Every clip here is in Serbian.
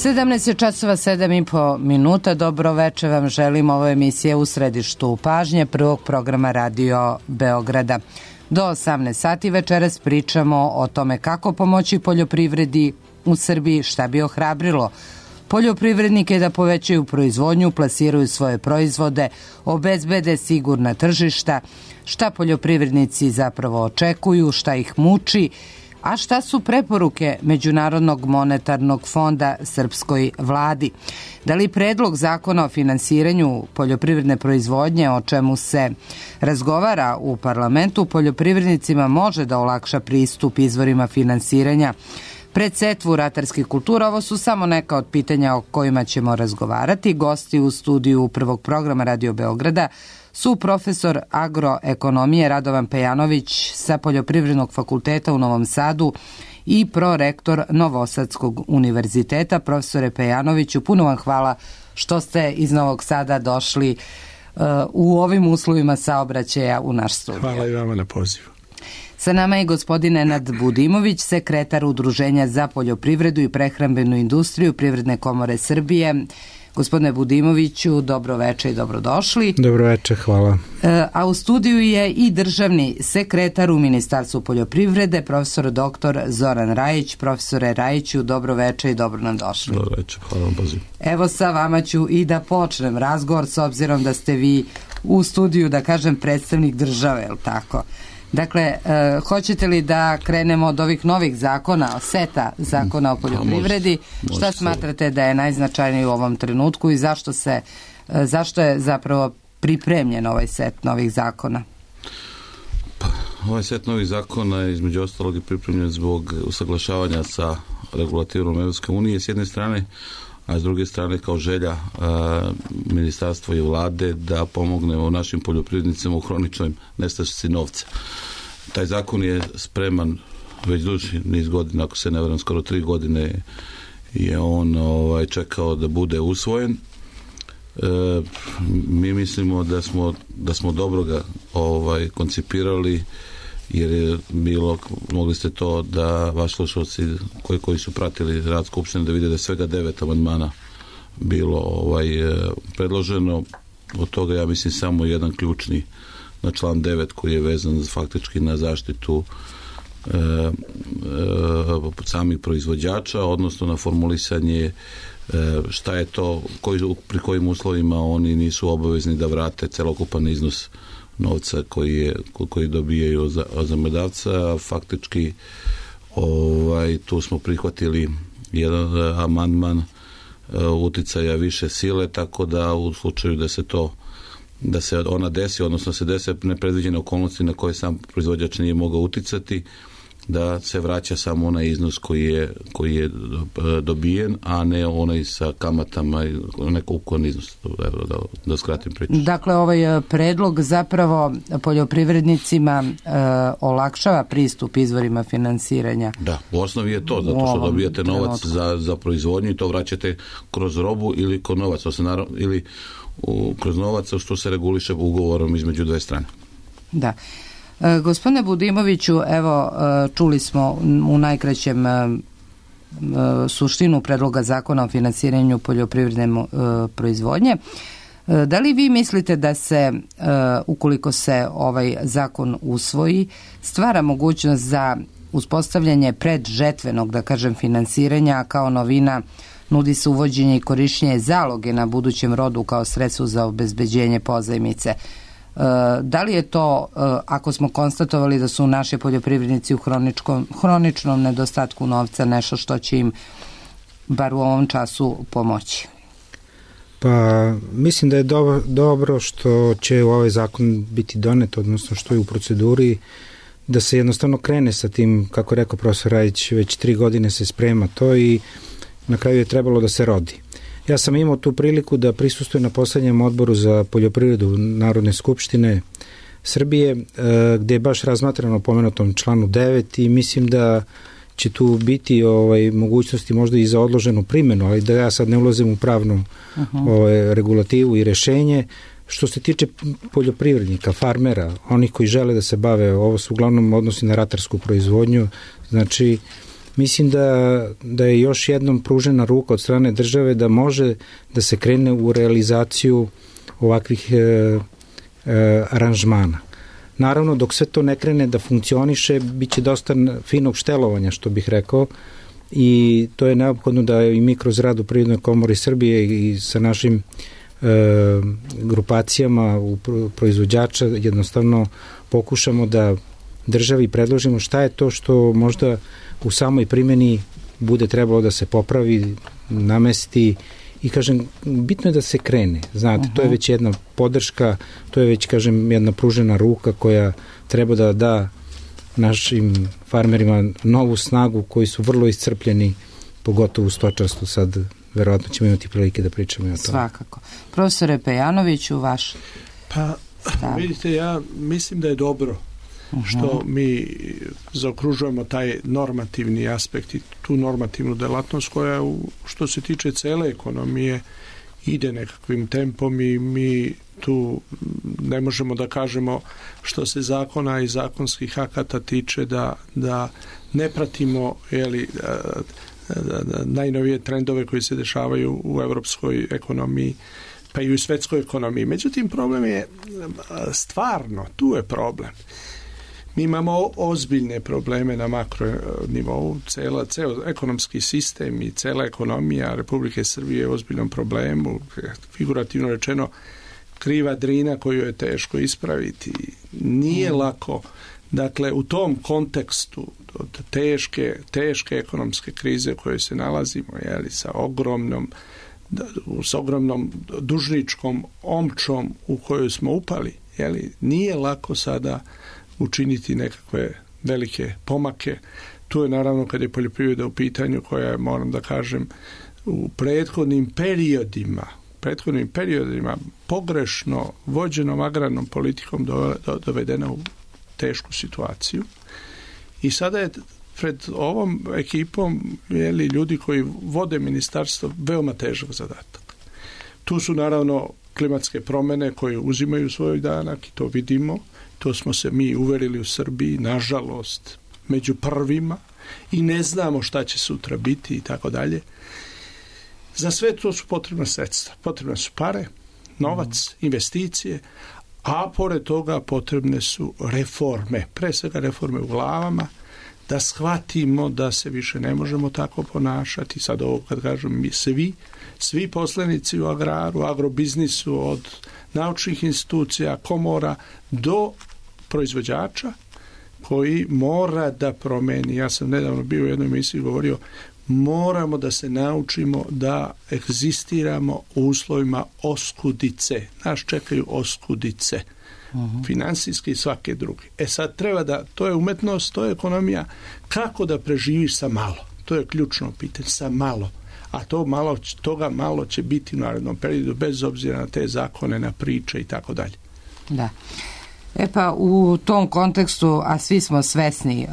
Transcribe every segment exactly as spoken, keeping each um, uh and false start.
sedamnaest je časova sedam i po minuta. Dobro veče vam želim. Ovo je emisija U središtu pažnje prvog programa Radio Beograda. Do osamnaest sati večeras pričamo o tome kako pomoći poljoprivredi u Srbiji, šta bi ohrabrilo poljoprivrednike da povećaju proizvodnju, plasiraju svoje proizvode, obezbede sigurna tržišta, šta poljoprivrednici zapravo očekuju, šta ih muči, a šta su preporuke Međunarodnog monetarnog fonda srpskoj vladi. Da li predlog zakona o finansiranju poljoprivredne proizvodnje, o čemu se razgovara u parlamentu, poljoprivrednicima može da olakša pristup izvorima finansiranja pred setvu ratarskih kultura? Ovo su samo neka od pitanja o kojima ćemo razgovarati. Gosti u studiju prvog programa Radio Beograda su profesor agroekonomije Radovan Pejanović sa Poljoprivrednog fakulteta u Novom Sadu i prorektor Novosadskog univerziteta. Profesore Pejanoviću, puno vam hvala što ste iz Novog Sada došli uh, u ovim uslovima saobraćaja u naš studij. Hvala i vama na pozivu. Sa nama je gospodin Nenad Budimović, sekretar Udruženja za poljoprivredu i prehrambenu industriju Privredne komore Srbije. Gospodine Budimoviću, dobro veče i dobrodošli. Dobro veče, hvala. A u studiju je i državni sekretar u Ministarstvu poljoprivrede, profesor doktor Zoran Rajić. Profesore Rajiću, dobro veče i dobro nam došli. Dobro veče, hvala vam pozivu. Evo sa vama ću i da počnem razgovor, s obzirom da ste vi u studiju, da kažem, predstavnik države, je li tako? Dakle, e, hoćete li da krenemo od ovih novih zakona, seta zakona o poljoprivredi? Može, može. Šta smatrate da je najznačajniji u ovom trenutku i zašto se, e, zašto je zapravo pripremljen ovaj set novih zakona? Pa, ovaj set novih zakona je između ostalog je pripremljen zbog usaglašavanja sa regulativom Evropske unije s jedne strane, a s druge strane kao želja a, ministarstva i vlade da pomognemo našim poljoprivrednicima u hroničnoj nestašici novca. Taj zakon je spreman već duži niz godina, ako se ne varam, skoro tri godine je on ovaj, čekao da bude usvojen. E, mi mislimo da smo, da smo dobro ga ovaj, koncipirali, jer je bilo, mogli ste to da vaši slušalci koji, koji su pratili rad Skupštine da vide da je svega devet amandmana bilo ovaj, predloženo. Od toga ja mislim samo jedan ključni na član devet koji je vezan faktički na zaštitu e, e, samih proizvođača, odnosno na formulisanje e, šta je to, koji, pri kojim uslovima oni nisu obavezni da vrate celokupan iznos novca koji, je, koji dobijaju za, za medavca. Faktički ovaj, tu smo prihvatili jedan amandman uh, uticaja više sile, tako da u slučaju da se to da se ona desi, odnosno se desi nepredviđene okolnosti na koje sam proizvođač nije mogao uticati, da se vraća samo onaj iznos koji je, koji je dobijen, a ne onaj sa kamatama i neko ukupan iznos. Da, da, da skratim priču. Dakle, ovaj predlog zapravo poljoprivrednicima e, olakšava pristup izvorima finansiranja. Da, u osnovi je to, zato što dobijate novac za, za proizvodnju i to vraćate kroz robu ili kroz novac, ili u, kroz novac, što se reguliše ugovorom između dve strane. Da. E, gospodine Budimoviću, evo, e, čuli smo u najkraćem e, suštinu predloga zakona o finansiranju poljoprivredne e, proizvodnje. E, da li vi mislite da se, e, ukoliko se ovaj zakon usvoji, stvara mogućnost za uspostavljanje predžetvenog, da kažem, finansiranja, kao novina nudi se uvođenje i korišćenje zaloge na budućem rodu kao sredstvo za obezbeđenje pozajmice? Da li je to, ako smo konstatovali da su naši poljoprivrednici u hroničkom, hroničnom nedostatku novca, nešto što će im bar u ovom času pomoći? Pa mislim da je dobro, dobro što će ovaj zakon biti donet, odnosno što je u proceduri, da se jednostavno krene sa tim, kako rekao profesor Rajić, već tri godine se sprema to i na kraju je trebalo da se rodi. Ja sam imao tu priliku da prisustvujem na poslednjem odboru za poljoprivredu Narodne skupštine Srbije, gde je baš razmatrano pomenutom članu devet i mislim da će tu biti ovaj, mogućnosti možda i za odloženu primjenu, ali da ja sad ne ulazim u pravnu uh-huh. ovaj, regulativu i rešenje. Što se tiče poljoprivrednika, farmera, onih koji žele da se bave, ovo se uglavnom odnosi na ratarsku proizvodnju, znači mislim da, da je još jednom pružena ruka od strane države da može da se krene u realizaciju ovakvih e, e, aranžmana. Naravno, dok sve to ne krene da funkcioniše, bit će dosta finog štelovanja, što bih rekao, i to je neophodno da i mi kroz rad u Privrednoj komori Srbije i sa našim e, grupacijama u proizvođača jednostavno pokušamo da državi predložimo šta je to što možda u samoj primjeni bude trebalo da se popravi, namesti i kažem, bitno je da se krene. Znate, uh-huh. to je već jedna podrška, to je već, kažem, jedna pružena ruka koja treba da da našim farmerima novu snagu koji su vrlo iscrpljeni, pogotovo u stočarstvu. Sad verovatno ćemo imati prilike da pričamo i o tome. Svakako. Profesore Pejanoviću, vaš Pa, stav. Vidite, ja mislim da je dobro uh-huh. što mi zaokružujemo taj normativni aspekt i tu normativnu delatnost koja, što se tiče cele ekonomije, ide nekakvim tempom i mi tu ne možemo da kažemo što se zakona i zakonskih akata tiče da, da ne pratimo jeli, najnovije trendove koji se dešavaju u evropskoj ekonomiji pa i u svetskoj ekonomiji. Međutim, problem je stvarno, tu je problem. Mi imamo ozbiljne probleme na makro nivou, cela, ceo ekonomski sistem i cela ekonomija Republike Srbije je u ozbiljnom problemu, figurativno rečeno kriva drina koju je teško ispraviti. Nije mm. lako, dakle, u tom kontekstu od teške, teške ekonomske krize u kojoj se nalazimo, jeli, sa ogromnom s ogromnom dužničkom omčom u kojoj smo upali, jeli, nije lako sada učiniti nekakve velike pomake. Tu je naravno kad je poljoprivreda u pitanju koja je, moram da kažem, u prethodnim periodima prethodnim periodima pogrešno vođenom agrarnom politikom dovedena u tešku situaciju. I sada je pred ovom ekipom jeli, ljudi koji vode ministarstvo veoma težak zadatak. Tu su naravno klimatske promene koje uzimaju svoj danak i to vidimo. To smo se mi uverili u Srbiji, nažalost, među prvima i ne znamo šta će sutra biti i tako dalje. Za sve to su potrebna sredstva. Potrebne su pare, novac, mm. investicije, a pored toga potrebne su reforme. Pre svega reforme u glavama, da shvatimo da se više ne možemo tako ponašati. Sad ovo kad kažem mi svi, svi poslenici u agraru, agrobiznisu, od naučnih institucija, komora do proizvođača koji mora da promeni. Ja sam nedavno bio u jednoj emisiji govorio moramo da se naučimo da egzistiramo u uslovima oskudice. Nas čekaju oskudice. Uh-huh. Finansijski i svake druge. E sad treba da, to je umetnost, to je ekonomija, kako da preživiš sa malo. To je ključno pitanje, sa malo. A to malo, toga malo će biti u narednom periodu, bez obzira na te zakone, na priče i tako dalje. Da. E pa u tom kontekstu, a svi smo svesni e,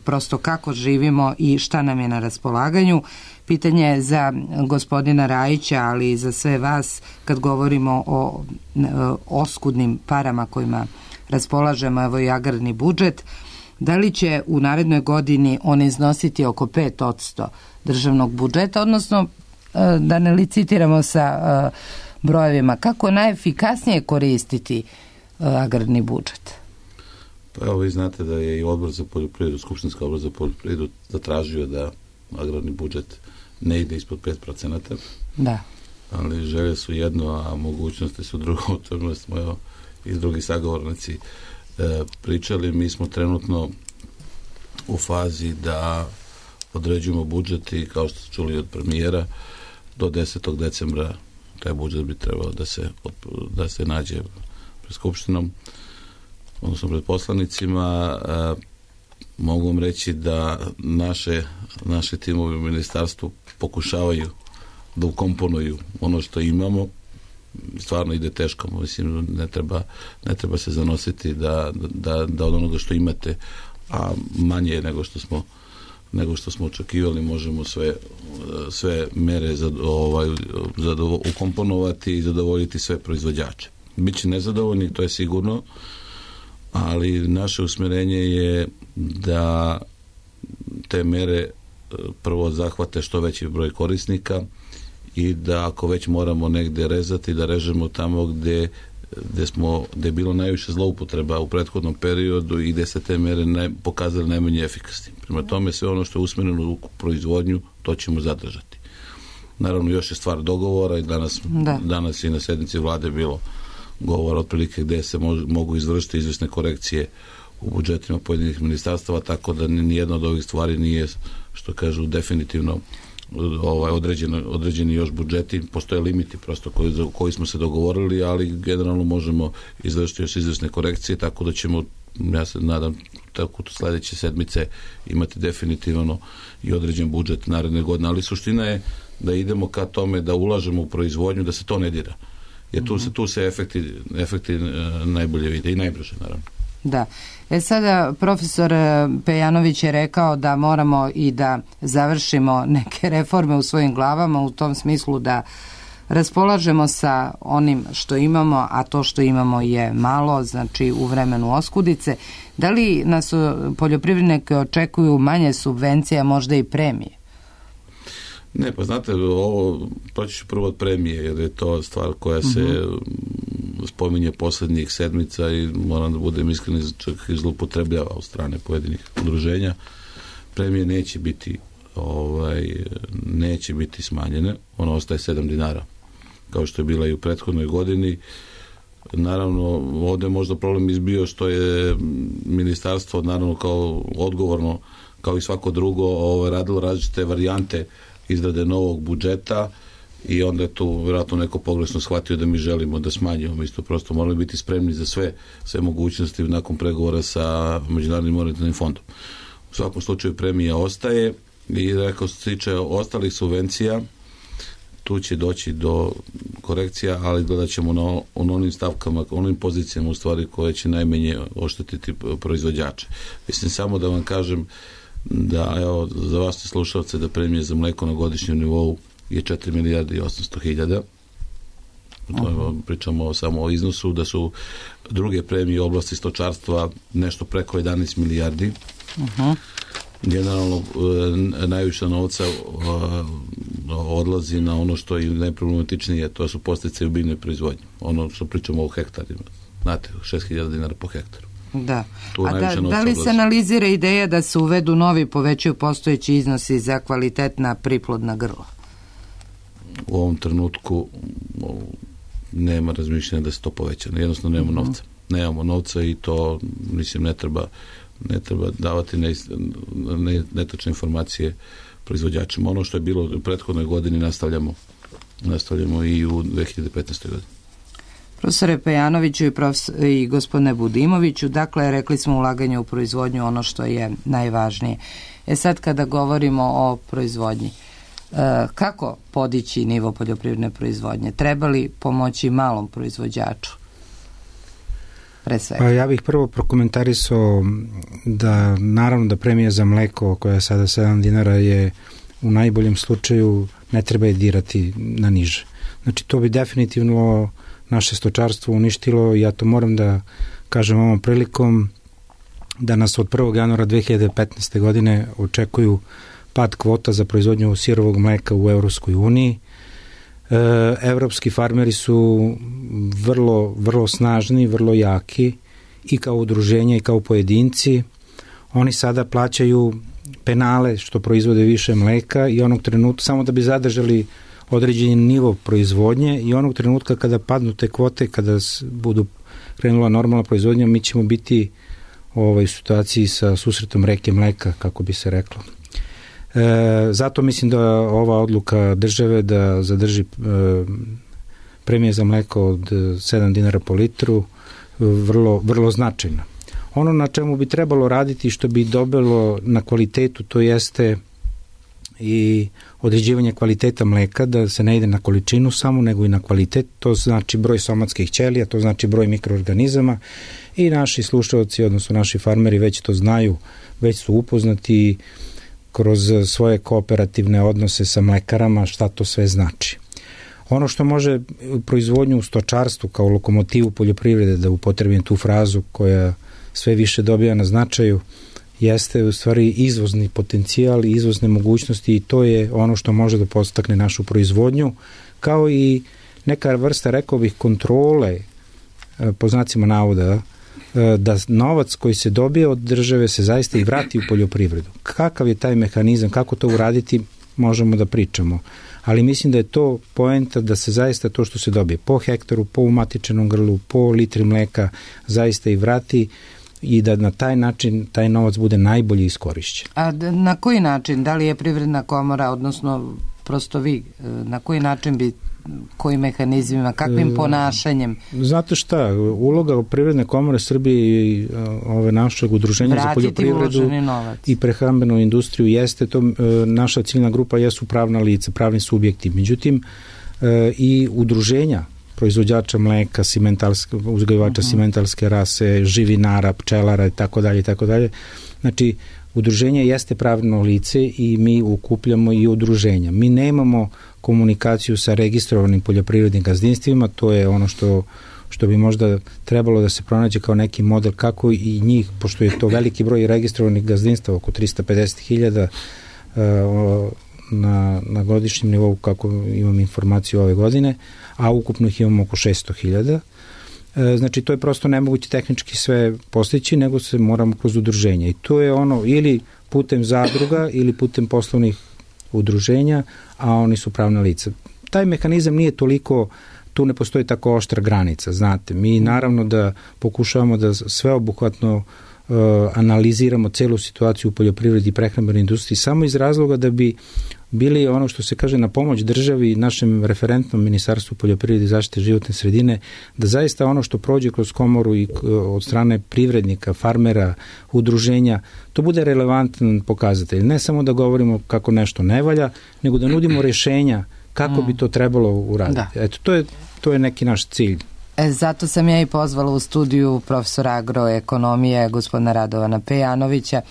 prosto kako živimo i šta nam je na raspolaganju, pitanje je za gospodina Rajića, ali i za sve vas kad govorimo o e, oskudnim parama kojima raspolažemo, evo i agrarni budžet, da li će u narednoj godini on iznositi oko pet posto državnog budžeta, odnosno e, da ne licitiramo sa e, brojevima, kako najefikasnije koristiti e, agrarni budžet? Pa evo vi znate da je i odbor za poljoprivredu, skupštinski odbor za poljoprivredu zatražio da agrarni budžet ne ide ispod pet procenata. Da. Ali želje su jedno, a mogućnosti su drugo, o čemu smo evo i drugi sagovornici e, pričali. Mi smo trenutno u fazi da određujemo budžet i kao što ste čuli od premijera, do desetog decembra taj budžet bi trebao da se, da se nađe pred skupštinom, odnosno pred poslanicima. E, mogu vam reći da naše, naše timovi u ministarstvu pokušavaju da ukomponuju ono što imamo. Stvarno ide teško, mislim, ne treba, ne treba se zanositi da, da, da od onoga što imate, a manje nego što smo nego što smo očekivali, možemo sve, sve mere za, ovaj, zadovo, ukomponovati i zadovoljiti sve proizvođače. Biće nezadovoljni, to je sigurno, ali naše usmjerenje je da te mere prvo zahvate što veći broj korisnika i da ako već moramo negde rezati, da režemo tamo gde, gde, smo, gde je bilo najviše zloupotreba u prethodnom periodu i gde se te mere ne, pokazali najmanje efikasni. Prema tome sve ono što je usmjereno u proizvodnju, to ćemo zadržati. Naravno još je stvar dogovora i danas, da. danas i na sednici vlade bilo govor otprilike gde se mož, mogu izvršiti izvesne korekcije u budžetima pojedinih ministarstava, tako da nijedna od ovih stvari nije, što kažu, definitivno ovaj, određeno, određeni još budžeti. Postoje limiti prosto koji, za koji smo se dogovorili, ali generalno možemo izvršiti još izvesne korekcije, tako da ćemo, ja se nadam, tako sledeće sedmice imati definitivno i određen budžet naredne godine, ali suština je da idemo ka tome da ulažemo u proizvodnju, da se to ne dira. Jer tu se, tu se efekti, efekti najbolje vide i najbrže, naravno. Da. E sada, profesor Pejanović je rekao da moramo i da završimo neke reforme u svojim glavama u tom smislu da raspolažemo sa onim što imamo, a to što imamo je malo, znači u vremenu oskudice. Da li nas poljoprivrednike očekuju manje subvencija, možda i premije? Ne, pa znate, ovo proći ću prvo od premije, jer je to stvar koja se uh-huh. spominje posljednjih sedmica i moram da budem iskren, čak i zloupotrebljava od strane pojedinih udruženja. Premije neće biti ovaj, neće biti smanjene, ono ostaje sedam dinara, kao što je bila i u prethodnoj godini. Naravno, ovdje možda problem izbio što je ministarstvo, naravno, kao odgovorno, kao i svako drugo, ovaj, radilo različite varijante izrade novog budžeta i onda je tu vjerojatno neko pogrešno shvatio da mi želimo da smanjimo. Mi smo prosto morali biti spremni za sve, sve mogućnosti nakon pregovora sa Međunarodnim monetarnim fondom. U svakom slučaju premija ostaje i rekao se tiče ostalih subvencija, tu će doći do korekcija, ali gledat ćemo na onim stavkama, onim pozicijama u stvari koje će najmanje oštetiti proizvođače. Mislim samo da vam kažem da, evo, za vas te slušalce, da premije za mleko na godišnjem nivou je četiri milijarde i osamsto hiljada. Uh-huh. Pričamo samo o iznosu, da su druge premije u oblasti stočarstva nešto preko jedanaest milijardi. Uh-huh. Generalno najviše novca odlazi na ono što je najproblematičnije, to su podsticaji u biljnoj proizvodnji. Ono što pričamo o hektarima. Znate, šest hiljada dinara po hektaru. Da. A da, da li se analizira ideja da se uvedu novi, povećaju postojeći iznosi za kvalitetna priplodna grla? U ovom trenutku nema razmišljanja da se to poveća. Jednostavno nemamo novca. Nemamo novca i to, mislim, ne treba ne treba davati netačne informacije proizvođačima. Ono što je bilo u prethodnoj godini nastavljamo nastavljamo i u dve hiljade petnaestoj godini. Profesore Pejanoviću i, profesor, i gospodine Budimoviću, dakle, rekli smo ulaganje u proizvodnju ono što je najvažnije. E sad kada govorimo o proizvodnji, e, kako podići nivo poljoprivredne proizvodnje? Treba li pomoći malom proizvođaču? Pre svega. Pa ja bih prvo prokomentarisao da naravno da premija za mleko koja je sada sedam dinara je u najboljem slučaju ne treba je dirati na niže. Znači to bi definitivno naše stočarstvo uništilo i ja to moram da kažem ovom prilikom da nas od prvog januara dve hiljade petnaeste. godine očekuju pad kvota za proizvodnju sirovog mleka u Evropskoj uniji. E, evropski farmeri su vrlo, vrlo snažni, vrlo jaki i kao udruženja i kao pojedinci. Oni sada plaćaju penale što proizvode više mleka i onog trenutka samo da bi zadržali određeni nivo proizvodnje i onog trenutka kada padnu te kvote, kada budu krenula normalna proizvodnja, mi ćemo biti u ovoj situaciji sa susretom reke mleka, kako bi se reklo. E, zato mislim da ova odluka države da zadrži e, premije za mleko od sedam dinara po litru vrlo, vrlo značajna. Ono na čemu bi trebalo raditi što bi dobilo na kvalitetu, to jeste i određivanje kvaliteta mleka, da se ne ide na količinu samo, nego i na kvalitet, to znači broj somatskih ćelija, to znači broj mikroorganizama i naši slušalci, odnosno naši farmeri već to znaju, već su upoznati kroz svoje kooperativne odnose sa mlekarama šta to sve znači. Ono što može proizvodnju u stočarstvu kao lokomotivu poljoprivrede, da upotrebim tu frazu koja sve više dobija na značaju, jeste u stvari izvozni potencijal i izvozne mogućnosti i to je ono što može da podstakne našu proizvodnju, kao i neka vrsta, rekao bih, kontrole, po znacima navoda, da novac koji se dobije od države se zaista i vrati u poljoprivredu. Kakav je taj mehanizam, kako to uraditi, možemo da pričamo. Ali mislim da je to poenta da se zaista to što se dobije po hektaru, po umatičenom grlu, po litri mleka zaista i vrati i da na taj način taj novac bude najbolje iskorišćen. A na koji način? Da li je Privredna komora, odnosno prosto vi, na koji način bi, kojim mehanizmima, kakvim ponašanjem? Znate šta, uloga Privredne komore Srbije i ove našeg udruženja za poljoprivredu i prehrambenu industriju jeste to, naša ciljna grupa jesu pravna lica, pravni subjekti. Međutim, i udruženja proizvođača mleka, simentalske, uzgajivača uh-huh. simentalske rase, živinara, pčelara i tako dalje i tako dalje. Znači, udruženje jeste pravno lice i mi ukupljamo i udruženja. Mi nemamo komunikaciju sa registrovanim poljoprivrednim gazdinstvima, to je ono što, što bi možda trebalo da se pronađe kao neki model kako i njih, pošto je to veliki broj registrovanih gazdinstava, oko trista pedeset hiljada na, na godišnjem nivou, kako imam informaciju ove godine, a ukupno ih imamo oko šesto hiljada. Znači, to je prosto nemoguće tehnički sve postići, nego se moramo kroz udruženja. I to je ono, ili putem zadruga, ili putem poslovnih udruženja, a oni su pravna lica. Taj mehanizam nije toliko, tu ne postoji tako oštra granica, znate. Mi naravno da pokušavamo da sveobuhvatno uh, analiziramo celu situaciju u poljoprivredi i prehrambenoj industriji samo iz razloga da bi bili ono što se kaže na pomoć državi i našem referentnom Ministarstvu poljoprivrede i zaštite životne sredine, da zaista ono što prođe kroz komoru i od strane privrednika, farmera, udruženja, to bude relevantan pokazatelj. Ne samo da govorimo kako nešto ne valja, nego da nudimo rješenja kako bi to trebalo uraditi. Da. Eto, to je, to je neki naš cilj. E, zato sam ja i pozvala u studiju profesora agroekonomije gospodina Radovana Pejanovića.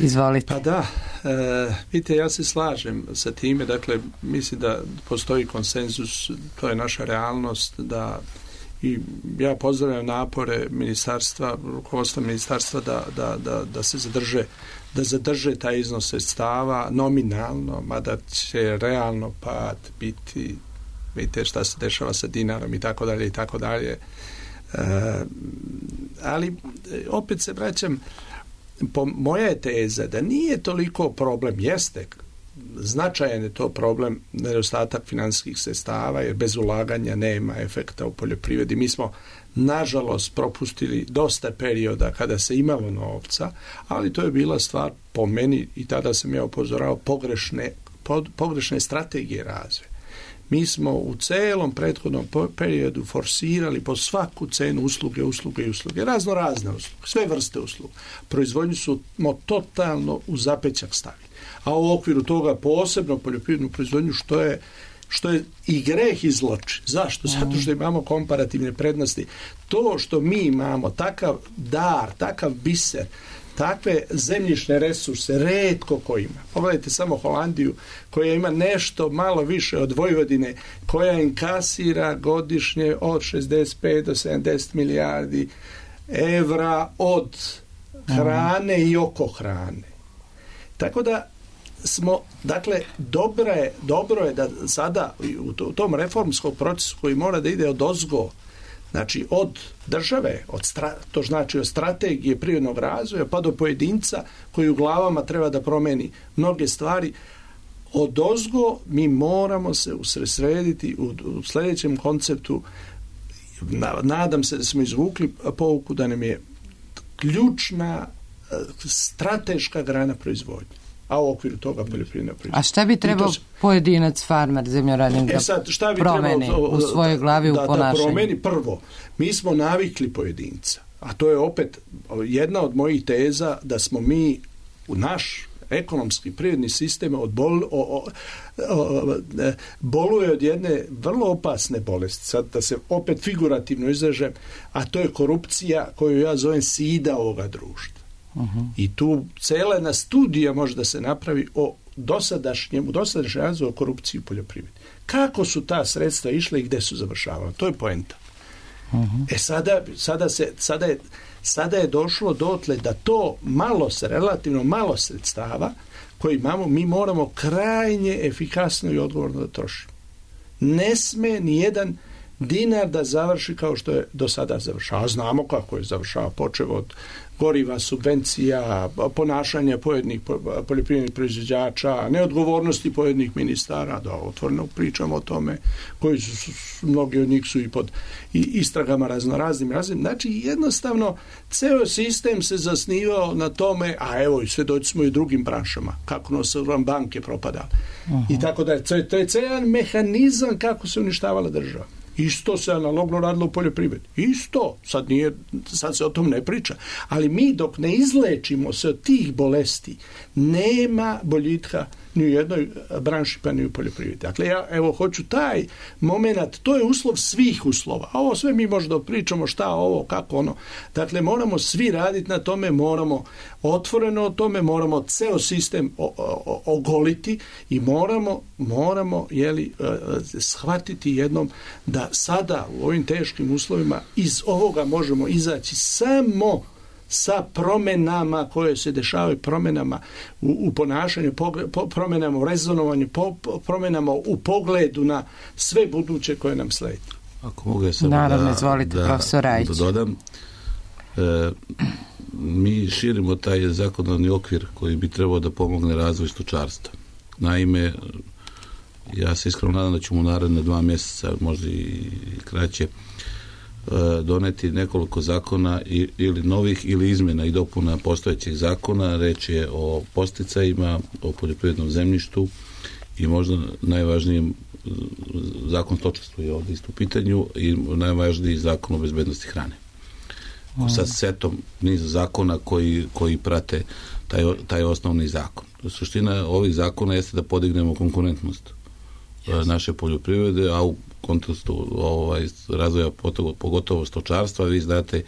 Izvolite. Pa da, e, vidite, ja se slažem sa time, dakle, mislim da postoji konsenzus, to je naša realnost, da i ja pozdravljam napore ministarstva, rukovodstva ministarstva da, da, da, da se zadrže, da zadrže taj iznos sredstava nominalno, mada će realno pad biti, vidite šta se dešava sa dinarom i tako dalje i tako dalje. E, ali opet se vraćam, po moja je teza da nije toliko problem, jeste značajan je to problem nedostatak financijskih sredstava, jer bez ulaganja nema efekta u poljoprivredi. Mi smo nažalost propustili dosta perioda kada se imalo novca, ali to je bila stvar po meni, i tada sam ja upozoravao, pogrešne, pogrešne strategije razvoja. Mi smo u celom prethodnom periodu forsirali po svaku cenu usluge, usluge i usluge, razno razne usluge, sve vrste usluga. Proizvodnju su totalno u zapećak stavili. A u okviru toga posebno poljoprivrednu proizvodnju, što je, što je i greh i zločin. Zašto? Zato što imamo komparativne prednosti. To što mi imamo takav dar, takav biser, takve zemljišne resurse retko ko ima. Pogledajte samo Holandiju, koja ima nešto malo više od Vojvodine, koja inkasira godišnje od šezdeset pet do sedamdeset milijardi evra od hrane i oko hrane. Tako da smo, dakle, dobro je, dobro je da sada u tom reformskom procesu koji mora da ide od ozgo, znači od države, od stra, to znači od strategije privrednog razvoja pa do pojedinca koji u glavama treba da promeni mnoge stvari, od ozgo mi moramo se usredsrediti u, u sljedećem konceptu. Nadam se da smo izvukli pouku da nam je ključna strateška grana proizvodnje, a u okviru toga poljoprivredna proizvodnja. A šta bi trebao se... pojedinac, farmer, zemljoradnik da sad, šta bi promeni trebalo, u svojoj glavi, da, u ponašanju? Da promeni prvo. Mi smo navikli pojedinca, a to je opet jedna od mojih teza da smo mi u naš ekonomski privredni sistem od bol, o, o, o, boluje od jedne vrlo opasne bolesti, sad da se opet figurativno izražem, a to je korupcija koju ja zovem sida ovoga društva. Uh-huh. I tu cela jedna studija može da se napravi o dosadašnjem, u dosadašnjem razvoju korupciji u poljoprivredi. Kako su ta sredstva išle i gde su završavala? To je poenta. Uh-huh. E sada, sada, se, sada, je, sada je došlo dotle da to malo, relativno malo sredstava koji imamo, mi moramo krajnje efikasno i odgovorno da trošimo. Ne sme ni jedan dinar da završi kao što je do sada završao. A znamo kako je završao, počeo od goriva, subvencija, ponašanja pojedinih poljoprivrednih proizvođača, neodgovornosti pojedinih ministara, da otvoreno pričamo o tome, koji su, su mnogi od njih su i pod i istragama raznoraznim raznim. Znači, jednostavno, ceo sistem se zasnivao na tome, a evo, i svedoci smo i drugim branšama, kako nos vam banke propadale. Aha. I tako da je, to je ceo mehanizam kako se uništavala država. Isto se analogno radilo u poljoprivredi. Isto. Sad, nije, sad se o tom ne priča. Ali mi dok ne izlečimo se od tih bolesti, nema boljitka ni u jednoj branši pa ni u poljoprivredi. Dakle, ja evo hoću taj moment, to je uslov svih uslova. A ovo sve mi možda pričamo šta ovo, kako ono. Dakle, moramo svi raditi na tome, moramo otvoreno o tome, moramo ceo sistem o, o, ogoliti i moramo, moramo jeli, shvatiti jednom da sada u ovim teškim uslovima iz ovoga možemo izaći samo sa promenama koje se dešavaju, promenama u, u ponašanju, po, promenama u rezonovanju, po, po, promenama u pogledu na sve buduće koje nam sledi. Ako mogu ja samo Naravno, da, izvolite, da, profesor Rajić. da dodam, e, mi širimo taj zakonodavni okvir koji bi trebao da pomogne razvoj stočarstva. Naime, ja se iskreno nadam da ćemo u naredne dva mjeseca, možda i kraće, doneti nekoliko zakona ili novih ili izmjena i dopuna postojećih zakona. Reč je o podsticajima, o poljoprivrednom zemljištu i možda najvažnijem zakon stočarstva je ovdje isto u pitanju i najvažniji zakon o bezbednosti hrane. Mm. Sa setom niza zakona koji, koji prate taj, taj osnovni zakon. Suština ovih zakona jeste da podignemo konkurentnost yes. naše poljoprivrede, a u kontekstu ovaj, razvoja pogotovo stočarstva, vi znate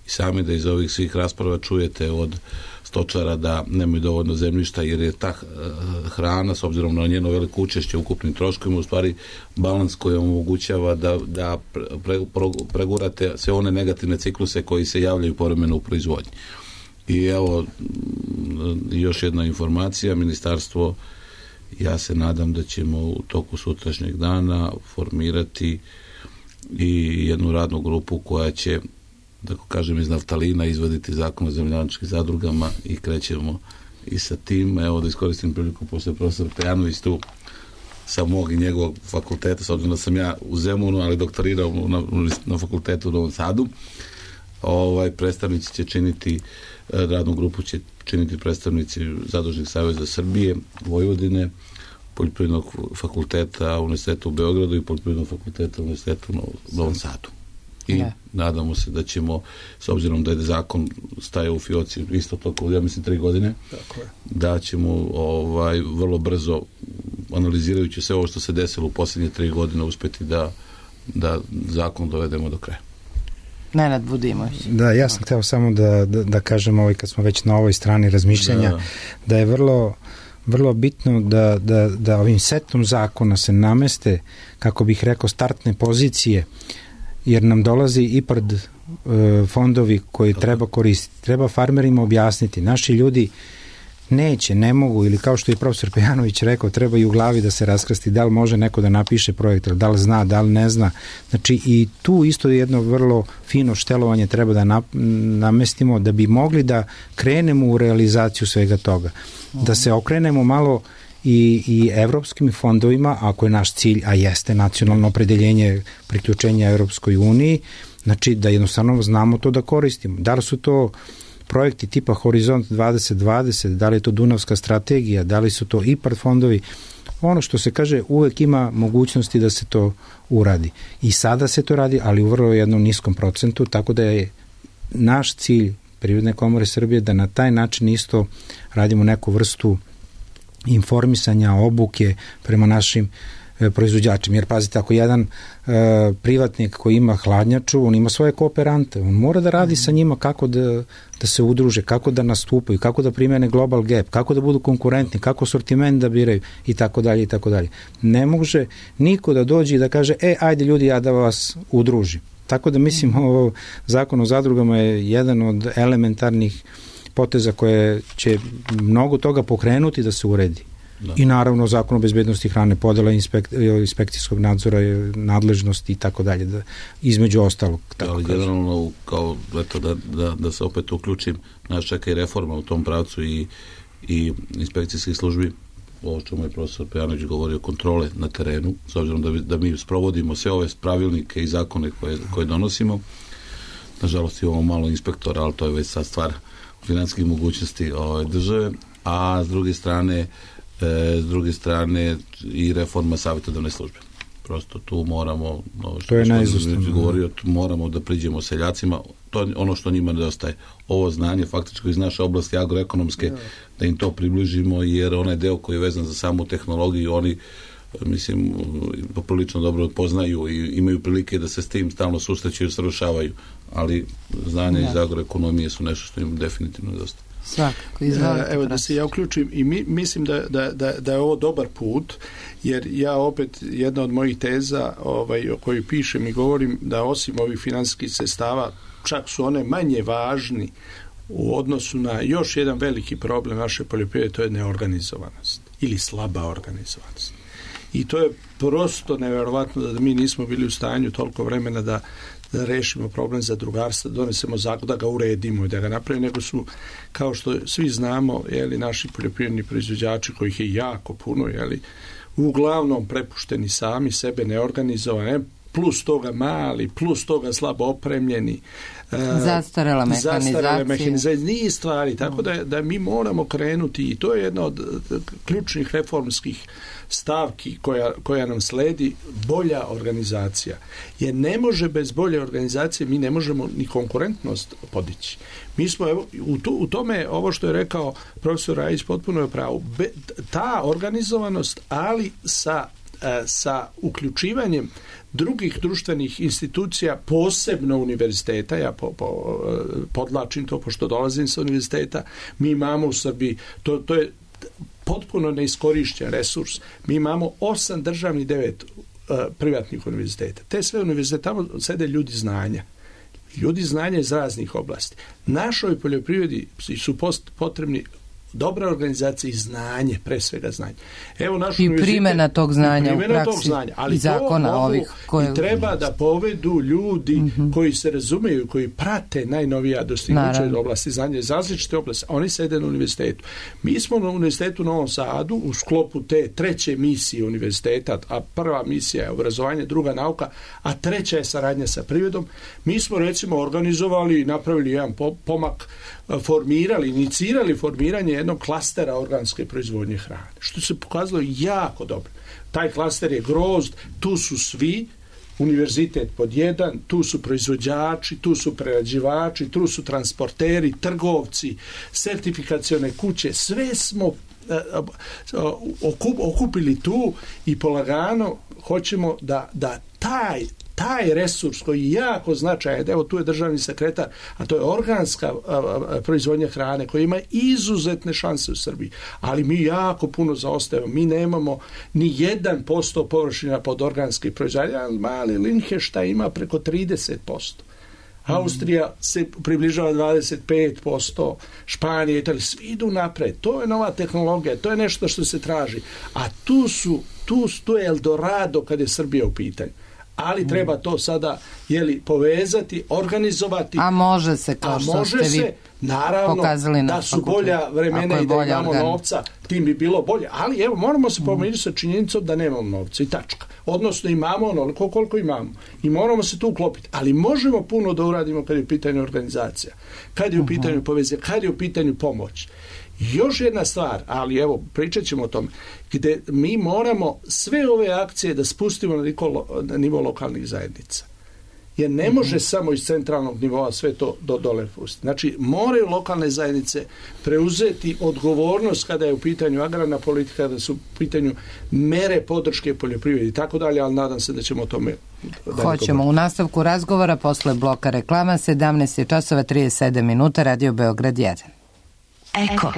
i sami da iz ovih svih rasprava čujete od stočara da nemaju dovoljno zemljišta jer je ta hrana s obzirom na njeno veliko učešće u ukupnim troškovima u stvari balans koji omogućava da, da pre, pre, pregurate sve one negativne cikluse koji se javljaju povremeno u proizvodnji. I evo još jedna informacija, ministarstvo, ja se nadam da ćemo u toku sutrašnjeg dana formirati i jednu radnu grupu koja će, da kažem, iz naftalina izvaditi zakon o zemljoradničkim zadrugama i krećemo i sa tim. Evo da iskoristim priliku, pošto je profesor Pejanović tu sa mog i njegovog fakulteta, s obzirom da sam ja u Zemunu, ali doktorirao na, na fakultetu u Novom Sadu. Ovaj, predstavnici će činiti, radnu grupu će činiti predstavnici Zadružnih saveza Srbije, Vojvodine, Poljoprivrednog fakulteta Univerziteta u Beogradu i Poljoprivrednog fakulteta Univerziteta u Novom Sadu. I ne. Nadamo se da ćemo, s obzirom da je zakon staje u fioci isto toliko, ja mislim, tri godine, tako je. Da ćemo ovaj, vrlo brzo, analizirajući sve ovo što se desilo u posljednje tri godine, uspjeti da, da zakon dovedemo do kraja. Nenad Budimović. Da, ja sam hteo samo da, da, da kažem, ovaj, kad smo već na ovoj strani razmišljanja, da, da je vrlo, vrlo bitno da, da, da ovim setom zakona se nameste, kako bih rekao, startne pozicije, jer nam dolazi IPARD e, fondovi koji treba koristiti. Treba farmerima objasniti. Naši ljudi neće, ne mogu, ili kao što je profesor Pejanović rekao, treba i u glavi da se raskrsti da li može neko da napiše projekt, da li zna, da li ne zna. Znači i tu isto jedno vrlo fino štelovanje treba da na, namestimo da bi mogli da krenemo u realizaciju svega toga. Da se okrenemo malo i, i evropskim fondovima, ako je naš cilj, a jeste nacionalno opredeljenje priključenja Evropskoj uniji, znači da jednostavno znamo to da koristimo. Da li su to projekti tipa Horizont dvadeset dvadeset, da li je to Dunavska strategija, da li su to IPARD fondovi, ono što se kaže uvek ima mogućnosti da se to uradi. I sada se to radi, ali u vrlo jednom niskom procentu, tako da je naš cilj Privredne komore Srbije da na taj način isto radimo neku vrstu informisanja, obuke prema našim e, proizvođačima. Jer pazite, ako jedan e, privatnik koji ima hladnjaču, on ima svoje kooperante, on mora da radi sa njima kako da, da se udruže, kako da nastupaju, kako da primene global gap, kako da budu konkurentni, kako sortiment da biraju i tako dalje i tako dalje. Ne može niko da dođe i da kaže, e, ajde ljudi, ja da vas udružim. Tako da mislim ovo zakon o zadrugama je jedan od elementarnih poteza koje će mnogo toga pokrenuti da se uredi. Da. I naravno zakon o bezbednosti hrane, podela inspek, inspekcijskog nadzora, nadležnosti i tako dalje, da, između ostalog. Tako ali generalno, kao eto, da, da, da se opet uključim, nas čeka i reforma u tom pravcu i, i inspekcijskih službi, ovo što je profesor Pejanović govorio, kontrole na terenu, s obzirom da, da mi sprovodimo sve ove pravilnike i zakone koje, koje donosimo. Nažalost imamo malo inspektora, ali to je već sad stvar financijskih mogućnosti ove države, a s druge strane E, s druge strane i reforma savjetodavne službe. Prosto tu moramo, no, što to je najizostavno govorio, moramo da priđemo seljacima, to je ono što njima nedostaje. Ovo znanje faktički iz naše oblasti agroekonomske, da im to približimo, jer onaj deo koji je vezan za samu tehnologiju, oni mislim, poprilično dobro poznaju i imaju prilike da se s tim stalno susreću i usavršavaju, ali znanja da. iz agroekonomije su nešto što im definitivno nedostaje. Svakako, izvolite. Evo da se ja uključim i mi, mislim da, da, da, da je ovo dobar put, jer ja opet, jedna od mojih teza ovaj, o kojoj pišem i govorim da osim ovih financijskih sredstava, čak su one manje važni u odnosu na još jedan veliki problem naše poljoprivrede, to je neorganizovanost ili slaba organizovanost. I to je prosto nevjerovatno da mi nismo bili u stanju toliko vremena da da rešimo problem zadrugarstva, donesemo zakon, da ga uredimo i da ga napravimo, nego su, kao što svi znamo, jeli, naši poljoprivredni proizvođači, kojih je jako puno, jeli, uglavnom prepušteni sami, sebe neorganizovani, plus toga mali, plus toga slabo opremljeni, zastarela mehanizacija, mehanizacija, niz stvari, tako da, da mi moramo krenuti i to je jedna od ključnih reformskih stavki koja, koja nam sledi, bolja organizacija. Jer ne može bez bolje organizacije, mi ne možemo ni konkurentnost podići. Mi smo, evo, u, tu, u tome, ovo što je rekao profesor Rajić, potpuno je pravo. Be, ta organizovanost, ali sa, sa uključivanjem drugih društvenih institucija, posebno univerziteta, ja po, po, podlačim to, pošto dolazim sa univerziteta, mi imamo u Srbiji, to, to je potpuno neiskorišćen resurs. Mi imamo osam državnih, devet uh, privatnih univerziteta. Te sve univerzitete, tamo sede ljudi znanja. Ljudi znanja iz raznih oblasti. Našoj poljoprivredi su post, potrebni dobra organizacija i znanje, pre svega znanje. Evo naš I primjena tog znanja u praksi tog znanja, ali i zakona to ovih koje... i treba da povedu ljudi mm-hmm. koji se razumeju, koji prate najnovija dostignuća iz oblasti znanja, iz različite oblasti. Oni sede na univerzitetu. Mi smo na univerzitetu u Novom Sadu u sklopu te treće misije univerziteta, a prva misija je obrazovanje, druga nauka, a treća je saradnja sa privredom. Mi smo recimo organizovali i napravili jedan pomak, formirali, inicirali formiranje jednog klastera organske proizvodnje hrane, što se pokazalo jako dobro. Taj klaster je Grozd, tu su svi, univerzitet pod jedan, tu su proizvođači, tu su prerađivači, tu su transporteri, trgovci, sertifikacione kuće, sve smo okupili tu i polagano hoćemo da, da taj taj resurs koji je jako značajan, evo tu je državni sekretar, a to je organska a, a, proizvodnja hrane koja ima izuzetne šanse u Srbiji, ali mi jako puno zaostajemo, mi nemamo ni jedan posto površina pod organske proizvodnje, mali Linheštajn ima preko trideset posto. Austrija se približava dvadeset pet posto, Španija, Italija, svi idu napred. To je nova tehnologija, to je nešto što se traži. A tu su, tu, tu je Eldorado kad je Srbija u pitanju. Ali treba to sada jeli, povezati, organizovati. A može se, kao što ste vi se, naravno, pokazali na da su bolja vremena i da imamo organ. novca, tim bi bilo bolje. Ali evo, moramo se pomiriti sa činjenicom da nemamo novca i tačka. Odnosno imamo onoliko koliko imamo. I moramo se tu uklopiti. Ali možemo puno da uradimo kad je u pitanju organizacija, kad je u pitanju povezanja, kad je u pitanju pomoć. Još jedna stvar, ali evo, pričat ćemo o tome, gde mi moramo sve ove akcije da spustimo na, nivo, na nivo lokalnih zajednica. Jer ne može mm-hmm. samo iz centralnog nivoa sve to do dole pustiti. Znači, moraju lokalne zajednice preuzeti odgovornost kada je u pitanju agrarna politika, kada su u pitanju mere podrške poljoprivredi i tako dalje, ali nadam se da ćemo o tome... Hoćemo. U nastavku razgovora posle bloka reklama, sedamnaest časova trideset sedam minuta, Radio Beograd jedan. Eko.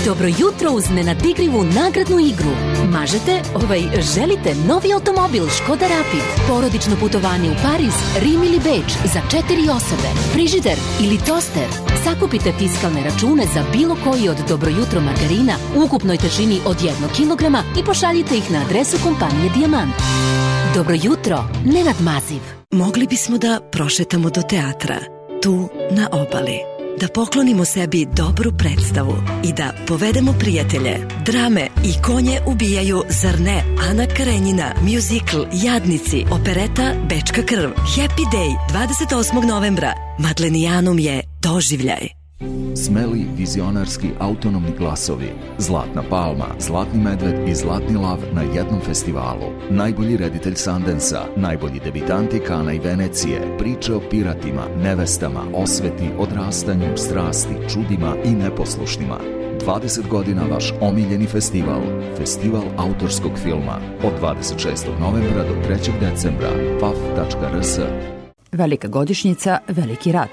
Dobro jutro uz nenadigrivu nagradnu igru. Mažete, ovaj, želite novi automobil Škoda Rapid, porodično putovanje u Pariz, Rim ili Beč za četiri osobe, frižider ili toster. Sakupite fiskalne račune za bilo koji od Dobro jutro margarina u ukupnoj težini od jednog kilograma i pošaljite ih na adresu kompanije Dijamant. Dobro jutro, Nenad Maziv. Mogli bismo da prošetamo do teatra, tu na obali, da poklonimo sebi dobru predstavu i da povedemo prijatelje. Drame i konje ubijaju, zar ne? Ana Karenjina, mjuzikl Jadnici, opereta Bečka krv, Happy Day, dvadeset osmog novembra. Madlenijanum je doživljaj. Smeli, vizionarski, autonomni glasovi, Zlatna palma, Zlatni medved i Zlatni lav na jednom festivalu. Najbolji reditelj Sundansa, najbolji debitanti Kana i Venecije, priče o piratima, nevestama, osveti, odrastanju, strasti, čudima i neposlušnima. dvadeset godina vaš omiljeni festival, Festival autorskog filma, od dvadeset šestog novembra do trećeg decembra, paf tačka r s. Velika godišnjica, veliki rat.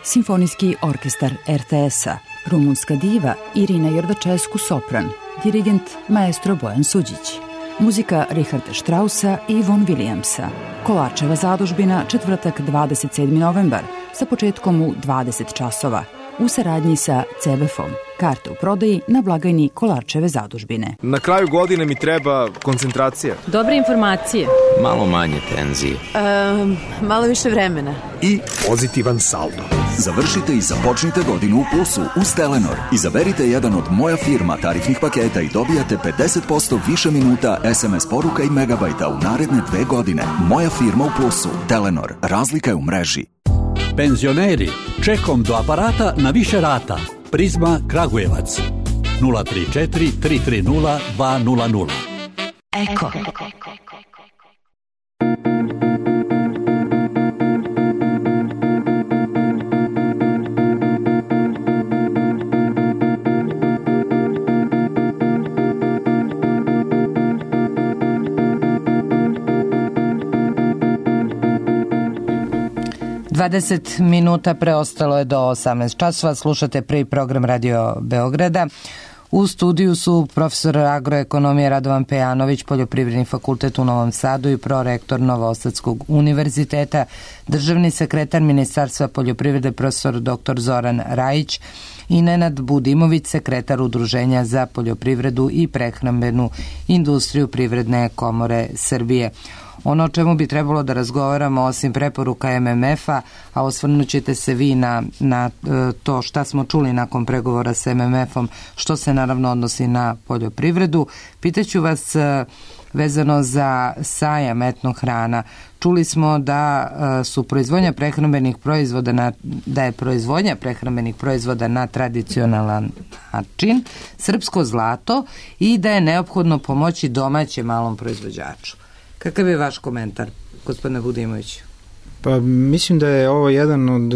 Simfonijski orkestar er te es-a, rumunska diva Irina Jordačesku sopran, dirigent maestro Bojan Suđić, muzika Richarda Straussa i Von Williamsa, Kolarčeva zadužbina, četvrtak dvadeset sedmi novembar, sa početkom u dvadeset časova, u saradnji sa ce be efom. Karte u prodaji na blagajni Kolarčeve zadužbine. Na kraju godine mi treba koncentracija. Dobre informacije. Malo manje tenzije. Um, malo više vremena. I pozitivan saldo. Završite i započnite godinu u plusu uz Telenor. Izaberite jedan od Moja firma tarifnih paketa i dobijate pedeset posto više minuta, es em es poruka i megabajta u naredne dve godine. Moja firma u plusu. Telenor. Razlika je u mreži. Penzioneri, čekom do aparata na više rata. Prizma Kragujevac. nula tri četiri tri tri nula dva nula nula. Eko. dvadeset minuta preostalo je do osamnaest časova. Slušate prvi program Radio Beograda. U studiju su profesor agroekonomije Radovan Pejanović, Poljoprivredni fakultet u Novom Sadu i prorektor Novosadskog univerziteta, državni sekretar Ministarstva poljoprivrede profesor doktor Zoran Rajić i Nenad Budimović, sekretar Udruženja za poljoprivredu i prehrambenu industriju Privredne komore Srbije. Ono o čemu bi trebalo da razgovaramo osim preporuka em em ef-a, a osvrnut ćete se vi na, na to šta smo čuli nakon pregovora sa em em ef-om, što se naravno odnosi na poljoprivredu. Pitaću vas vezano za sajam etnohrana. Čuli smo da su proizvodnja prehrambenih proizvoda na, da je proizvodnja prehrambenih proizvoda na tradicionalan način, srpsko zlato i da je neophodno pomoći domaćem malom proizvođaču. Kakav je vaš komentar, gospodine Budimoviću? Pa mislim da je ovo jedan od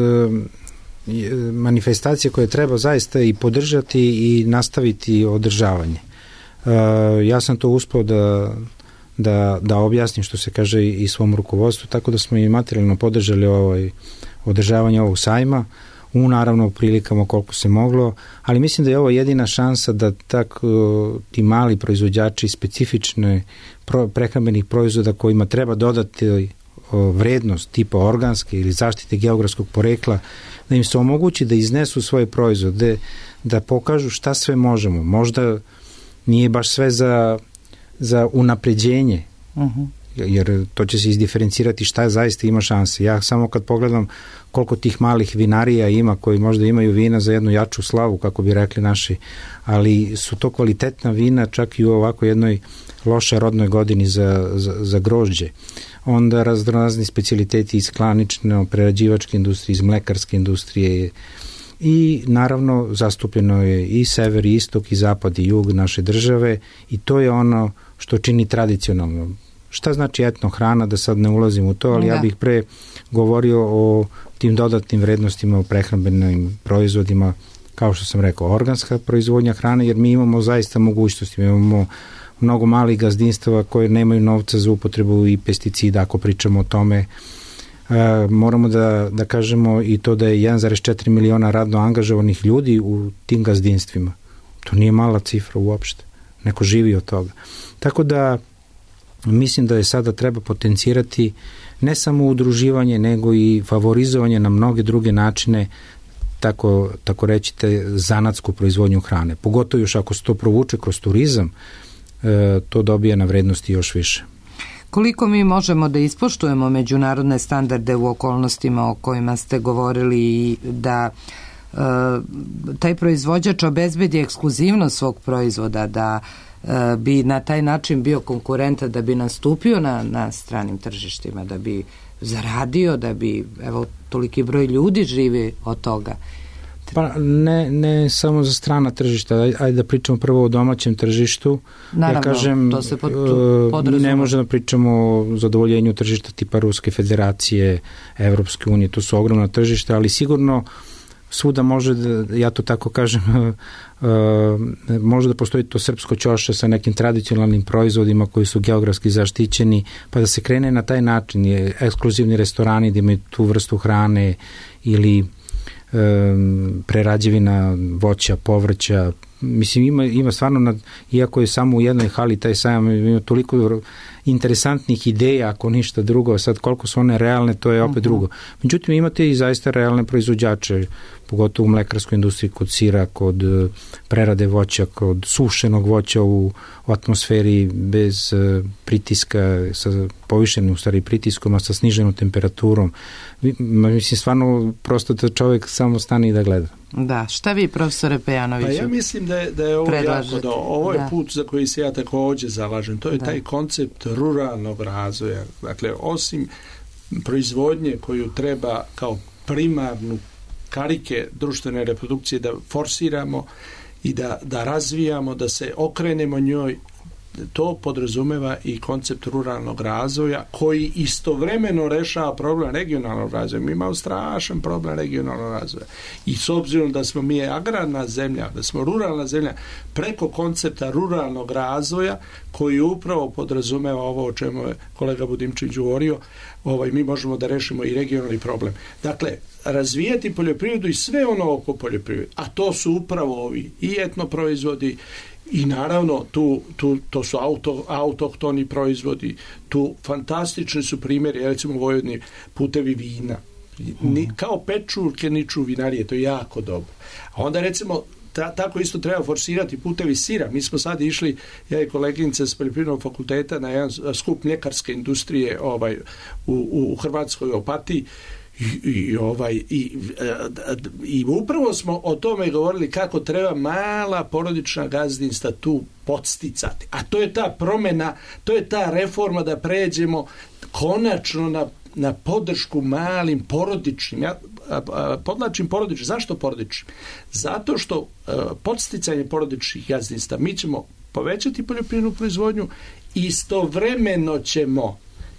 manifestacija koje treba zaista i podržati i nastaviti održavanje. Ja sam to uspeo da, da, da objasnim, što se kaže, i svom rukovodstvu, tako da smo i materijalno podržali ovaj, održavanje ovog sajma, u naravno prilikama koliko se moglo, ali mislim da je ovo jedina šansa da tako ti mali proizvođači specifične prehrambenih proizvoda kojima treba dodati vrednost tipa organske ili zaštite geografskog porekla, da im se omogući da iznesu svoje proizvode, da pokažu šta sve možemo. Možda nije baš sve za, za unapređenje, uh-huh. jer to će se izdiferencirati šta zaista ima šanse. Ja samo kad pogledam koliko tih malih vinarija ima koji možda imaju vina za jednu jaču slavu, kako bi rekli naši, ali su to kvalitetna vina čak i u ovako jednoj loše rodnoj godini za, za, za grožđe. Onda raznorazni specijaliteti iz klanične, prerađivačke industrije, iz mlekarske industrije i naravno zastupljeno je i sever, i istok, i zapad, i jug naše države i to je ono što čini tradicionalno. Šta znači etno hrana, da sad ne ulazim u to, ali da. Ja bih pre govorio o tim dodatnim vrednostima u prehrambenim proizvodima, kao što sam rekao, organska proizvodnja hrane, jer mi imamo zaista mogućnosti, mi imamo mnogo malih gazdinstava koje nemaju novca za upotrebu i pesticida, ako pričamo o tome. E, moramo da, da kažemo i to da je jedan zarez četiri miliona radno angažovanih ljudi u tim gazdinstvima. To nije mala cifra uopšte. Neko živi od toga. Tako da mislim da je sada treba potencirati ne samo udruživanje, nego i favorizovanje na mnoge druge načine, tako, tako reći, te zanatsku proizvodnju hrane. Pogotovo još ako se to provuče kroz turizam, e, to dobija na vrednosti još više. Koliko mi možemo da ispoštujemo međunarodne standarde u okolnostima o kojima ste govorili i da e, taj proizvođač obezbedi ekskluzivnost svog proizvoda, da e, bi na taj način bio konkurentan, da bi nastupio na, na stranim tržištima, da bi zaradio, da bi, evo, toliki broj ljudi živi od toga. Pa ne, ne samo za strana tržišta, ajde da pričamo prvo o domaćem tržištu. Naravno, ja kažem, to se pod, mi ne možemo da pričamo o zadovoljenju tržišta tipa Ruske federacije, Evropske unije, to su ogromna tržišta, ali sigurno svuda može da, ja to tako kažem, može da postoji to srpsko ćoše sa nekim tradicionalnim proizvodima koji su geografski zaštićeni, pa da se krene na taj način, je ekskluzivni restorani da imaju tu vrstu hrane ili um, prerađevina voća, povrća. Mislim, ima, ima stvarno, nad, iako je samo u jednoj hali taj sajam, ima toliko interesantnih ideja, ako ništa drugo, sad koliko su one realne, to je opet uh-huh. drugo. Međutim, imate i zaista realne proizvođače, pogotovo u mlekarskoj industriji, kod sira, kod prerade voća, kod sušenog voća u, u atmosferi bez uh, pritiska, sa povišenim u stvari pritiskom, a sa sniženom temperaturom. Mislim, stvarno, prosto da čovjek samo stane i da gleda. Da, šta vi, profesore Pejanoviću? Pa ja mislim da je, da je ovo predlažete? jako do, ovo je da. put za koji se ja također zalažem. To je da. taj koncept ruralnog razvoja. Dakle, osim proizvodnje koju treba kao primarnu karike društvene reprodukcije da forsiramo i da, da razvijamo, da se okrenemo njoj, to podrazumeva i koncept ruralnog razvoja koji istovremeno rešava problem regionalnog razvoja. Mi imamo strašan problem regionalnog razvoja. I s obzirom da smo mi agrarna zemlja, da smo ruralna zemlja, preko koncepta ruralnog razvoja koji upravo podrazumeva ovo o čemu je kolega Budimčić govorio, ovaj, mi možemo da rešimo i regionalni problem. Dakle, razvijati poljoprivredu i sve ono oko poljoprivrede, a to su upravo ovi i etnoproizvodi, i naravno tu, tu, to su auto, autohtoni proizvodi, tu fantastični su primjeri, recimo u Vojvodini putevi vina, Ni, kao pečurke niču vinarije, to je jako dobro. A onda recimo ta, tako isto treba forsirati putevi sira. Mi smo sad išli, ja i koleginica s poljoprivrednog fakulteta, na jedan skup mljekarske industrije ovaj, u, u, u Hrvatskoj Opatiji. I, i, ovaj, i, i upravo smo o tome govorili kako treba mala porodična gazdinstva tu podsticati. A to je ta promjena, to je ta reforma da pređemo konačno na, na podršku malim porodičnim. Ja podlačim porodičnim. Zašto porodičnim? Zato što podsticanje porodičnih gazdinstva mi ćemo povećati poljoprivrednu proizvodnju, istovremeno ćemo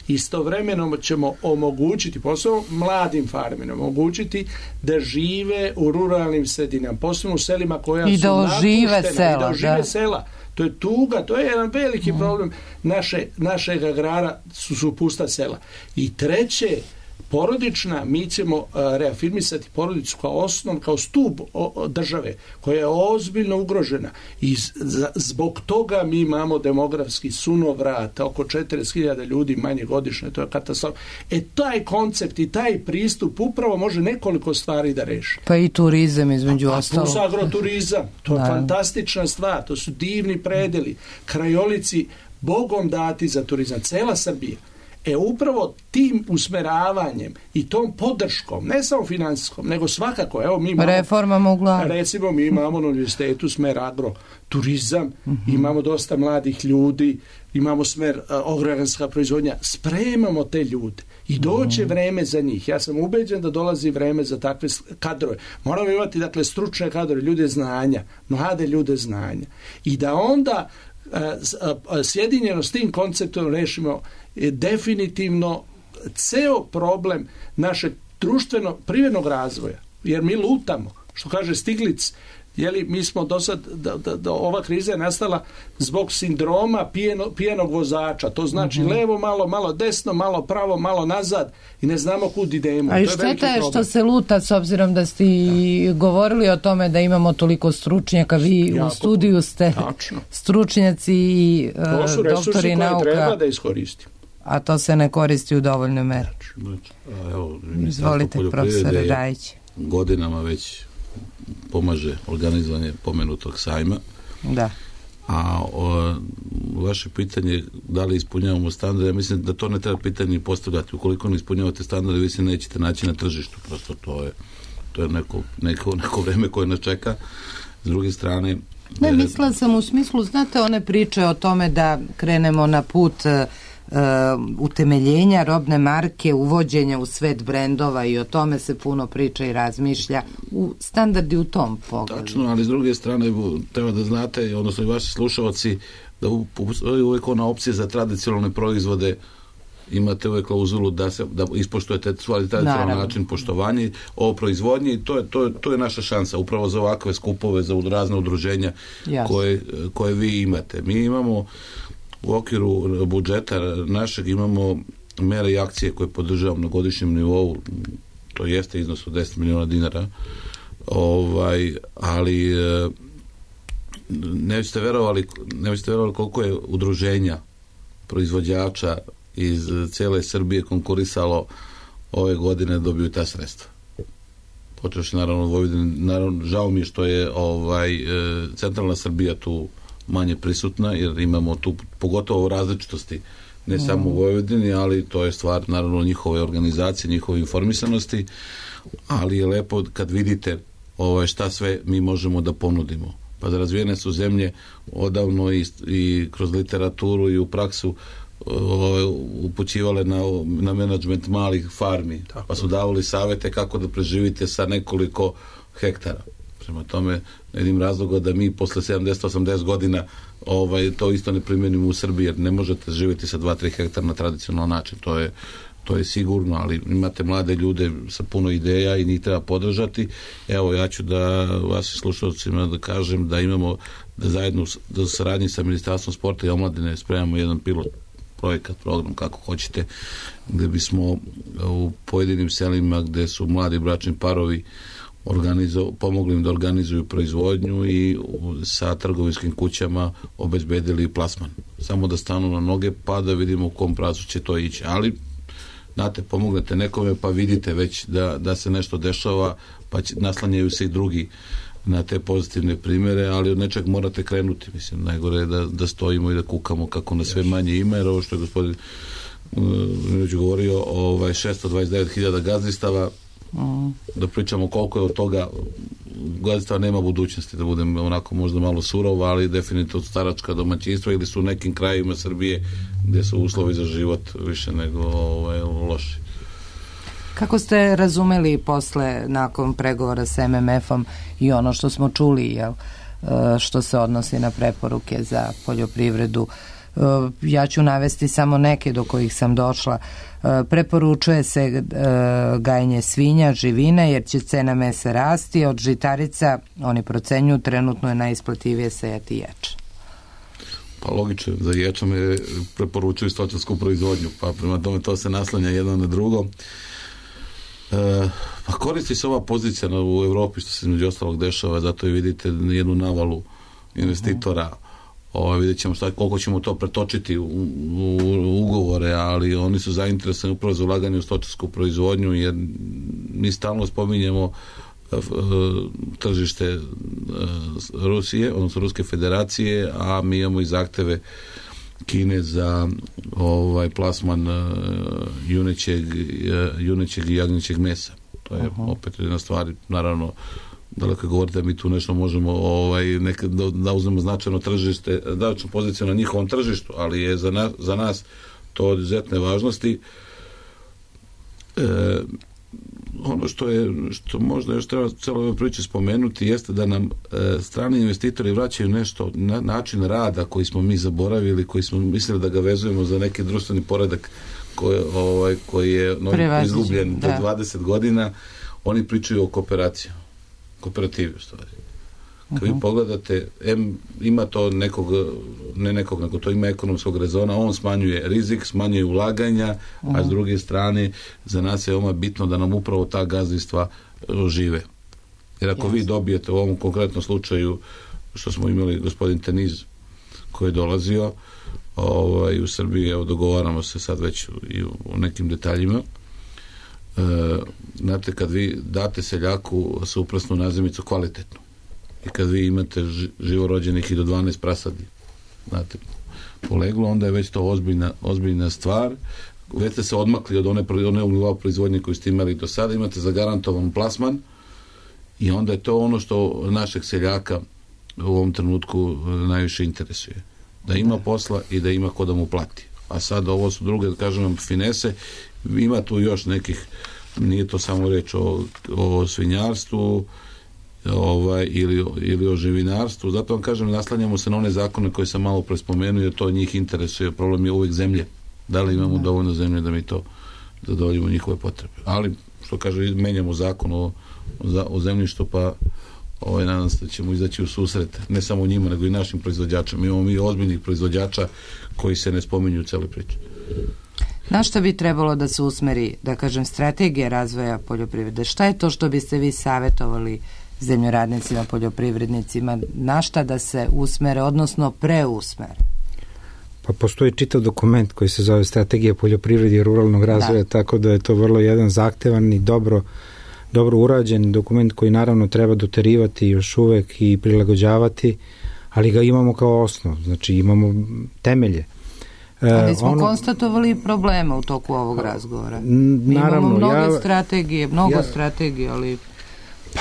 istovremeno ćemo omogućiti, posebno mladim farmerima, omogućiti da žive u ruralnim sredinama, posebno u selima koja I su da napuštena sela, i da ožive da. sela. To je tuga, to je jedan veliki mm. problem naše, našeg agrara, su, su pusta sela. I treće, porodična, mi ćemo uh, reafirmisati porodicu kao osnov, kao stup o, o, države, koja je ozbiljno ugrožena. I z, z, zbog toga mi imamo demografski sunovrat, oko četrdeset hiljada ljudi manje godišnje, to je katastrofa. E, taj koncept i taj pristup upravo može nekoliko stvari da reši. Pa i turizam između ostalo. Plus agroturizam, to je da. fantastična stvar, to su divni predeli, krajolici, Bogom dati za turizam, cela Srbija. E upravo tim usmeravanjem i tom podrškom, ne samo finansijskom, nego svakako, evo mi imamo, reformama u glavi. Recimo mi imamo na univerzitetu smer agroturizam, mm-hmm. imamo dosta mladih ljudi, imamo smer agrarska proizvodnja, spremamo te ljude i doće mm-hmm. vreme za njih. Ja sam ubeđen da dolazi vreme za takve kadrove. Moramo imati, dakle, stručne kadrove, ljude znanja, mlade ljude znanja. I da onda sjedinjeno s tim konceptom rešimo definitivno ceo problem našeg društveno privrednog razvoja, jer mi lutamo, što kaže Stiglic, Jeli, mi smo do sad, da, da, da ova kriza je nastala zbog sindroma pijeno, pijenog vozača. To znači mm-hmm. levo malo, malo desno, malo pravo, malo nazad i ne znamo kud idemo. A i šteta je što se luta, s obzirom da ste i govorili o tome da imamo toliko stručnjaka. Vi ja, u studiju ste tačno. Stručnjaci i uh, doktori nauka. To su resursi koje treba da iskoristimo. A to se ne koristi u dovoljnoj meri. Znači, a evo, izvolite, profesore Rajić. Godinama već pomaže organizovanje pomenutog sajma. Da. A o, vaše pitanje da li ispunjavamo standarde, ja mislim da to ne treba pitanje postavljati. Ukoliko ne ispunjavate standarde, vi se nećete naći na tržištu. Prosto to je, to je neko, neko, neko vreme koje nas čeka. S druge strane... Ne, mislila sam u smislu, znate, one priče o tome da krenemo na put Uh, utemeljenja robne marke, uvođenja u svet brendova i o tome se puno priča i razmišlja. U standardi u tom pogledu. Tačno, ali s druge strane treba da znate, odnosno i vaši slušalci, da postoji uvijek ona opcija za tradicionalne proizvode. Imate uvijek klauzulu da se da ispoštujete svoj tradicionalan način poštovanja o proizvodnji i to je, to, je, to je naša šansa upravo za ovakve skupove, za razne udruženja koje, koje vi imate. Mi imamo u okviru budžeta našeg imamo mere i akcije koje podržavamo na godišnjem nivou, to jeste iznos od deset miliona dinara, ovaj, ali ne biste verovali, ne biste verovali koliko je udruženja proizvođača iz cijele Srbije konkurisalo ove godine dobiju ta sredstva. Počeš naravno Vojvodine, naravno žao mi je što je ovaj, centralna Srbija tu manje prisutna, jer imamo tu pogotovo različitosti, ne mm. samo u Vojvodini, ali to je stvar naravno njihove organizacije, njihove informisanosti, ali je lepo kad vidite ovaj, šta sve mi možemo da ponudimo. Pa razvijene su zemlje odavno i, i kroz literaturu i u praksu ovaj, upućivale na, na menadžment malih farmi, tako, pa su davali savete kako da preživite sa nekoliko hektara. Prema tome, ne vidim razloga da mi posle sedamdeset osamdeset godina ovaj, to isto ne primjenimo u Srbiji, jer ne možete živjeti sa dva tri hektara na tradicionalan način. To je, to je sigurno, ali imate mlade ljude sa puno ideja i njih treba podržati. Evo, ja ću da vas slušalcima da kažem da imamo da zajedno da saradnji sa Ministarstvom sporta i omladine spremamo jedan pilot projekat, program, kako hoćete, gde bismo u pojedinim selima gde su mladi bračni parovi Organizo, pomogli im da organizuju proizvodnju i sa trgovinskim kućama obezbedili plasman. Samo da stanu na noge pa da vidimo u kom pravcu će to ići. Ali, znate, pomognete nekome pa vidite već da, da se nešto dešava, pa će, naslanjaju se i drugi na te pozitivne primjere, ali od nečeg morate krenuti. Mislim, najgore je da, da stojimo i da kukamo kako na sve manje ima, jer ovo što je gospodin Minović uh, govorio, ovaj, šesto dvadeset devet hiljada gazdistava, Mm. da pričamo koliko je od toga gazdinstva nema budućnosti, da budem onako možda malo surov, ali definitivno staračka domaćinstva ili su u nekim krajevima Srbije gdje su uslovi za život više nego ovaj, loši. Kako ste razumeli posle, nakon pregovora s em em efom i ono što smo čuli, jel, što se odnosi na preporuke za poljoprivredu? Ja ću navesti samo neke do kojih sam došla. Preporučuje se gajenje svinja, živine, jer će cena mesa rasti. Od žitarica, oni procenjuju, trenutno je najisplativije sejati ječ. Pa logično, za ječom je preporučuju stočarsku proizvodnju, pa prema tome to se naslanja jedno na drugo. E, pa koristi se ova pozicija u Evropi, što se između ostalog dešava, zato i vidite jednu navalu investitora. Ovo, vidjet ćemo šta, koliko ćemo to pretočiti u, u, u ugovore, ali oni su zainteresovani upravo za ulaganje u stočarsku proizvodnju, jer mi stalno spominjemo uh, tržište uh, Rusije, odnosno Ruske federacije, a mi imamo i zahteve Kine za ovaj plasman uh, junećeg, uh, junećeg i jagnjećeg mesa. To je uh-huh. opet jedna stvar, naravno, daleko govorite da mi tu nešto možemo ovaj, neka, da, da uzmemo značajno tržište, značajnu poziciju na njihovom tržištu, ali je za, na, za nas to od izuzetne važnosti. E, ono što je, što možda još treba celo ove priče spomenuti, jeste da nam e, strani investitori vraćaju nešto, na, način rada koji smo mi zaboravili, koji smo mislili da ga vezujemo za neki društveni poredak koji, ovaj, koji je no, izgubljen do dvadeset godina. Oni pričaju o kooperaciji. Kooperativi, u stvari. Kad vi pogledate, M, ima to nekog, ne nekog, nego to ima ekonomskog rezona, on smanjuje rizik, smanjuje ulaganja, uh-huh. a s druge strane za nas je veoma bitno da nam upravo ta gazdinstva žive. Jer ako yes. vi dobijete u ovom konkretnom slučaju, što smo imali gospodin Teniz koji je dolazio ovaj, u Srbiji, evo dogovaramo se sad već i u nekim detaljima, e, znate, kad vi date seljaku suprasnu nazemicu kvalitetnu, i kad vi imate živorođenih i do dvanaest prasadi, znate, poleglo, onda je već to ozbiljna, ozbiljna stvar. Već ste se odmakli od one, one nivoa proizvodnje koju ste imali do sada, imate zagarantovan plasman i onda je to ono što našeg seljaka u ovom trenutku najviše interesuje. Da ima posla i da ima ko da mu plati. A sad ovo su druge, da kažem vam, finese. Ima tu još nekih, nije to samo reč o, o svinjarstvu, ovaj, ili, ili o živinarstvu. Zato vam kažem, naslanjamo se na one zakone koje sam malo prespomenuo, jer to njih interesuje. Problem je uvijek zemlje. Da li imamo dovoljno zemlje da mi to zadovoljimo njihove potrebe. Ali, što kaže, menjamo zakon o, o, o zemljištu, pa ovaj, nadam se da ćemo izaći u susret, ne samo njima, nego i našim proizvođačima. Imamo mi ozbiljnih proizvođača koji se ne spominju u celoj priči. Na što bi trebalo da se usmeri, da kažem, strategija razvoja poljoprivrede? Šta je to što biste vi savjetovali zemljoradnicima, poljoprivrednicima, na šta da se usmere, odnosno preusmere? Pa postoji čitav dokument koji se zove Strategija poljoprivrede i ruralnog razvoja, da. Tako da je to vrlo jedan zahtevan i dobro, dobro urađen dokument koji naravno treba doterivati još uvek i prilagođavati, ali ga imamo kao osnov, znači imamo temelje. Ali smo ono, konstatovali probleme u toku ovog razgovora. Naravno, imamo mnogo ja, strategije, mnogo ja, strategije, ali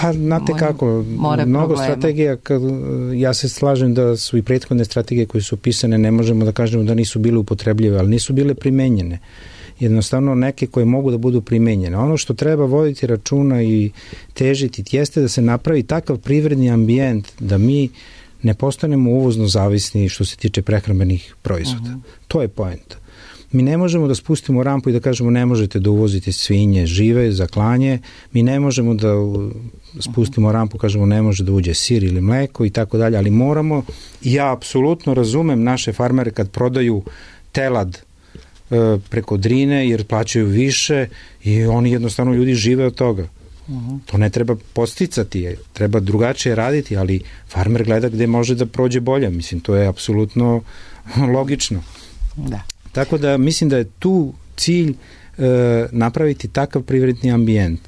pa znate more, kako, more mnogo problema. strategija, kad, ja se slažem da su i prethodne strategije koje su pisane, ne možemo da kažemo da nisu bile upotrebljive, ali nisu bile primenjene. Jednostavno neke koje mogu da budu primenjene. Ono što treba voditi računa i težiti jeste da se napravi takav privredni ambijent da mi ne postanemo uvozno zavisni što se tiče prehrambenih proizvoda. Uh-huh. To je poenta. Mi ne možemo da spustimo rampu i da kažemo ne možete da uvozite svinje žive za klanje, mi ne možemo da spustimo rampu, kažemo ne može da uđe sir ili mleko i tako dalje, ali moramo, i ja apsolutno razumem naše farmere kad prodaju telad e, preko Drine jer plaćaju više i oni jednostavno ljudi žive od toga. Uh-huh. To ne treba posticati, treba drugačije raditi, ali farmer gleda gde može da prođe bolje. Mislim, to je apsolutno logično. Da. Tako da mislim da je tu cilj e, napraviti takav privredni ambijent.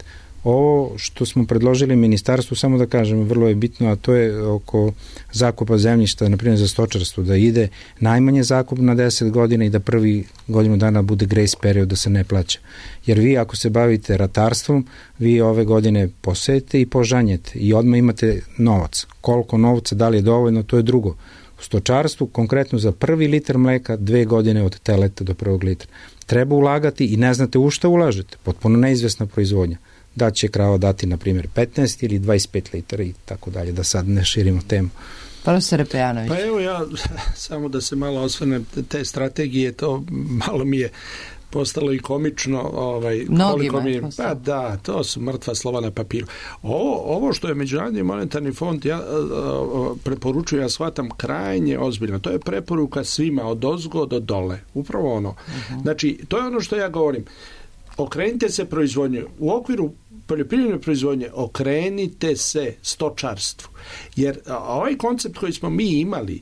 Ovo što smo predložili ministarstvu, samo da kažem, vrlo je bitno, a to je oko zakupa zemljišta, na primjer za stočarstvo, da ide najmanje zakup na deset godina i da prvi godinu dana bude grace period da se ne plaća. Jer vi ako se bavite ratarstvom, vi ove godine posejete i požanjete i odmah imate novac. Koliko novca, da li je dovoljno, to je drugo. U stočarstvu, konkretno za prvi litar mleka, dve godine od teleta do prvog litra. Treba ulagati i ne znate u šta ulažete. Potpuno neizvesna proizvodnja. Da će krava dati, na primjer, petnaest ili dvadeset pet litara i tako dalje, da sad ne širimo temu. Profesor Pejanović. Pa evo ja, samo da se malo osvrnem, te strategije, to malo mi je postalo i komično, ovaj, koliko mi je, pa da, to su mrtva slova na papiru. Ovo, ovo što je Međunarodni monetarni fond ja, preporučuje, ja shvatam krajnje ozbiljno. To je preporuka svima od ozgo do dole. Upravo ono. Uh-huh. Znači, to je ono što ja govorim. Okrenite se proizvodnju. U okviru poljoprivredne proizvodnje okrenite se stočarstvu. Jer ovaj koncept koji smo mi imali,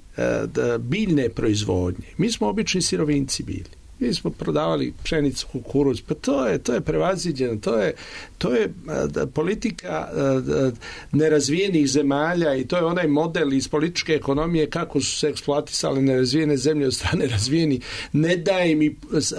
biljne proizvodnje, mi smo obični sirovinci bili. Mi smo prodavali pšenicu, kukuruz, pa to je, to je prevaziđeno, to je, to je da, politika da, nerazvijenih zemalja i to je onaj model iz političke ekonomije kako su se eksploatisale nerazvijene zemlje od strane razvijeni, ne daje im i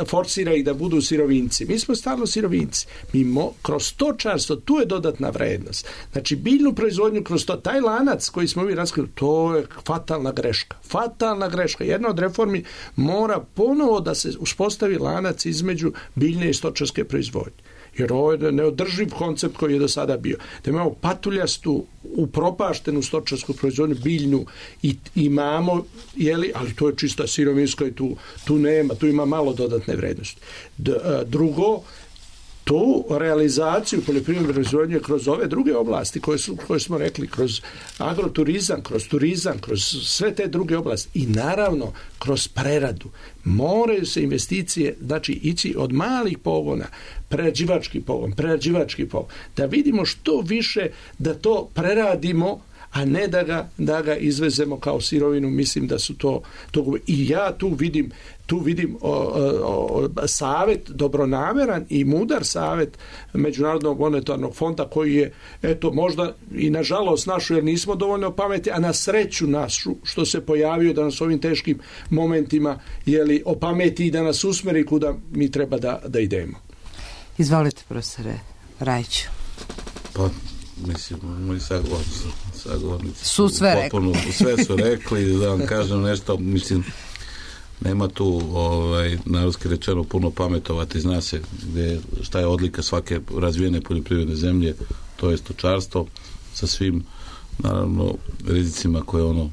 forsira ih da budu sirovinci. Mi smo stalno sirovinci. Mi mo, kroz stočarstvo, tu je dodatna vrednost. Znači, biljnu proizvodnju kroz to, taj lanac koji smo mi raskrili, to je fatalna greška. Fatalna greška. Jedna od reformi mora ponovo da se uspostavi lanac između biljne i stočarske proizvodnje. Jer ovo je neodrživ koncept koji je do sada bio. Da imamo patuljastu, upropaštenu stočarsku proizvodnju, biljnu i imamo, jeli, ali to je čista sirovinska i tu, tu nema, tu ima malo dodatne vrednosti. D, drugo, tu realizaciju poljoprivredne proizvodnje kroz ove druge oblasti koje, su, koje smo rekli, kroz agroturizam, kroz turizam, kroz sve te druge oblasti i naravno kroz preradu. Moraju se investicije, znači ići od malih pogona, prerađivački pogon, prerađivački pogon, da vidimo što više da to preradimo, a ne da ga, da ga izvezemo kao sirovinu. Mislim da su to, to i ja tu vidim tu vidim o, o, o, savjet, dobronameran i mudar savjet Međunarodnog monetarnog fonda koji je, eto, možda i nažalost našu, jer nismo dovoljno pameti, a na sreću našu, što se pojavio da nas ovim teškim momentima jeli, opameti i da nas usmeri kuda mi treba da, da idemo. Izvolite, profesore Rajiću. Pa, mislim, moji sagovornici, sagovornici su sve potpuno, rekli. Sve su rekli, da vam kažem nešto, mislim, nema tu, ovaj, narodski rečeno, puno pametovati, zna se gde, šta je odlika svake razvijene poljoprivredne zemlje, to je stočarstvo, sa svim, naravno, rizicima koje ono,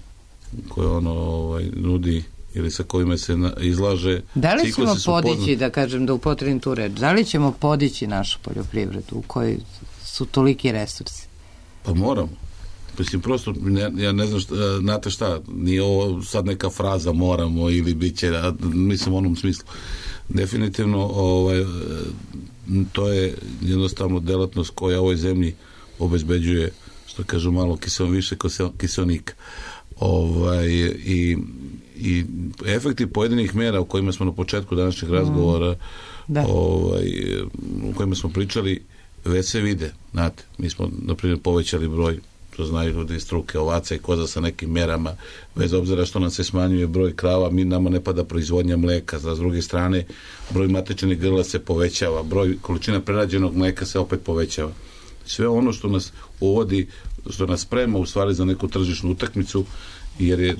koje ono ovaj, nudi ili sa kojima se na, izlaže. Da li ćemo podići, poznat... da kažem, da upotrebim tu reč, da li ćemo podići našu poljoprivredu u kojoj su toliki resursi? Pa moramo. Mislim, prosto, ne, ja ne znam, šta, znate šta, nije ovo sad neka fraza moramo ili bit će, mislim u onom smislu. Definitivno, ovaj, to je jednostavno delatnost koja ovoj zemlji obezbeđuje, što kažu, malo kisel, više kiselnika. Ovaj, i, i efekti pojedinih mjera o kojima smo na početku današnjeg razgovora mm. ovaj, o kojima smo pričali već se vide. Znate, mi smo, na primjer, povećali broj, to znaju ljudi iz struke, ovaca i koza sa nekim mjerama, bez obzira što nam se smanjuje broj krava, mi nama ne pada proizvodnja mleka, za s druge strane broj matečnih grla se povećava, broj količina prerađenog mleka se opet povećava. Sve ono što nas uvodi, što nas sprema u stvari za neku tržišnu utakmicu, jer je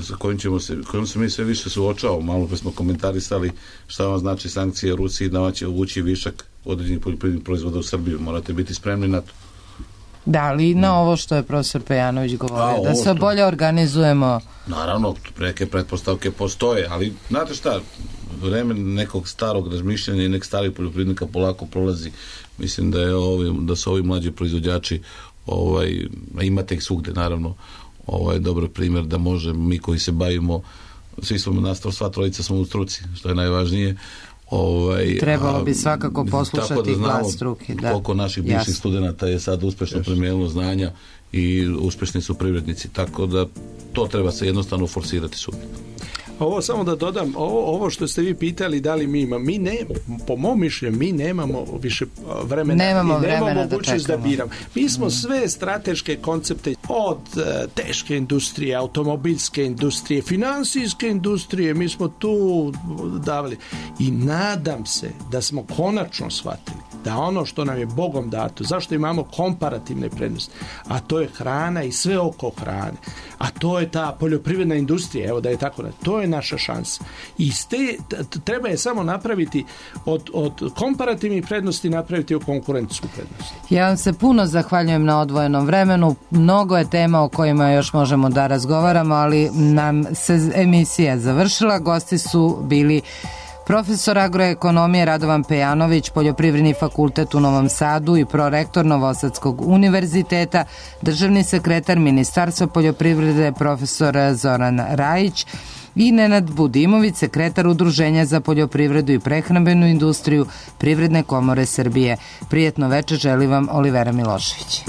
sa kojim ćemo se, kojim se mi sve više suočavamo. Malo pa smo komentarisali šta vam znači sankcije Rusiji, da vam će uvući višak određenih poljoprivrednih proizvoda u Srbiju. Morate biti spremni na to. Da, li na ovo što je profesor Pejanović govorio, da, da se što... bolje organizujemo? Naravno, neke pretpostavke postoje, ali znate šta, vreme nekog starog razmišljanja i nek starih poljoprivrednika polako prolazi. Mislim da je ovi, da su ovi mlađi proizvođači, ovaj, imate ih svugde, naravno, ovaj, dobar primjer da može, mi koji se bavimo, svi smo nastav, sva trojica smo u struci, što je najvažnije. Ovaj, trebalo bi svakako poslušati da glas struke. Da. Koliko naših bivših studenata je sad uspešno primijenilo znanja i uspešni su privrednici, tako da to treba se jednostavno forsirati svugdje. Ovo samo da dodam, ovo, ovo što ste vi pitali da li mi imamo, mi ne, po mom mišljenju, mi nemamo više vremena, nemamo mi nemamo vremena mogućnost da, da biramo. Mi smo mm. sve strateške koncepte od uh, teške industrije, automobilske industrije, finansijske industrije, mi smo tu davali i nadam se da smo konačno shvatili da ono što nam je Bogom dato, zašto imamo komparativne prednosti, a to je hrana i sve oko hrane, a to je ta poljoprivredna industrija, evo da je tako, to je naša šansa. I ste, treba je samo napraviti od, od komparativnih prednosti napraviti u konkurentsku prednost. Ja vam se puno zahvaljujem na odvojenom vremenu. Mnogo je tema o kojima još možemo da razgovaramo, ali nam se emisija završila. Gosti su bili profesor agroekonomije Radovan Pejanović, Poljoprivredni fakultet u Novom Sadu i prorektor Novosadskog univerziteta, državni sekretar Ministarstva poljoprivrede profesor Zoran Rajić i Nenad Budimović, sekretar Udruženja za poljoprivredu i prehrambenu industriju Privredne komore Srbije. Prijetno večer želi vam Olivera Milošević.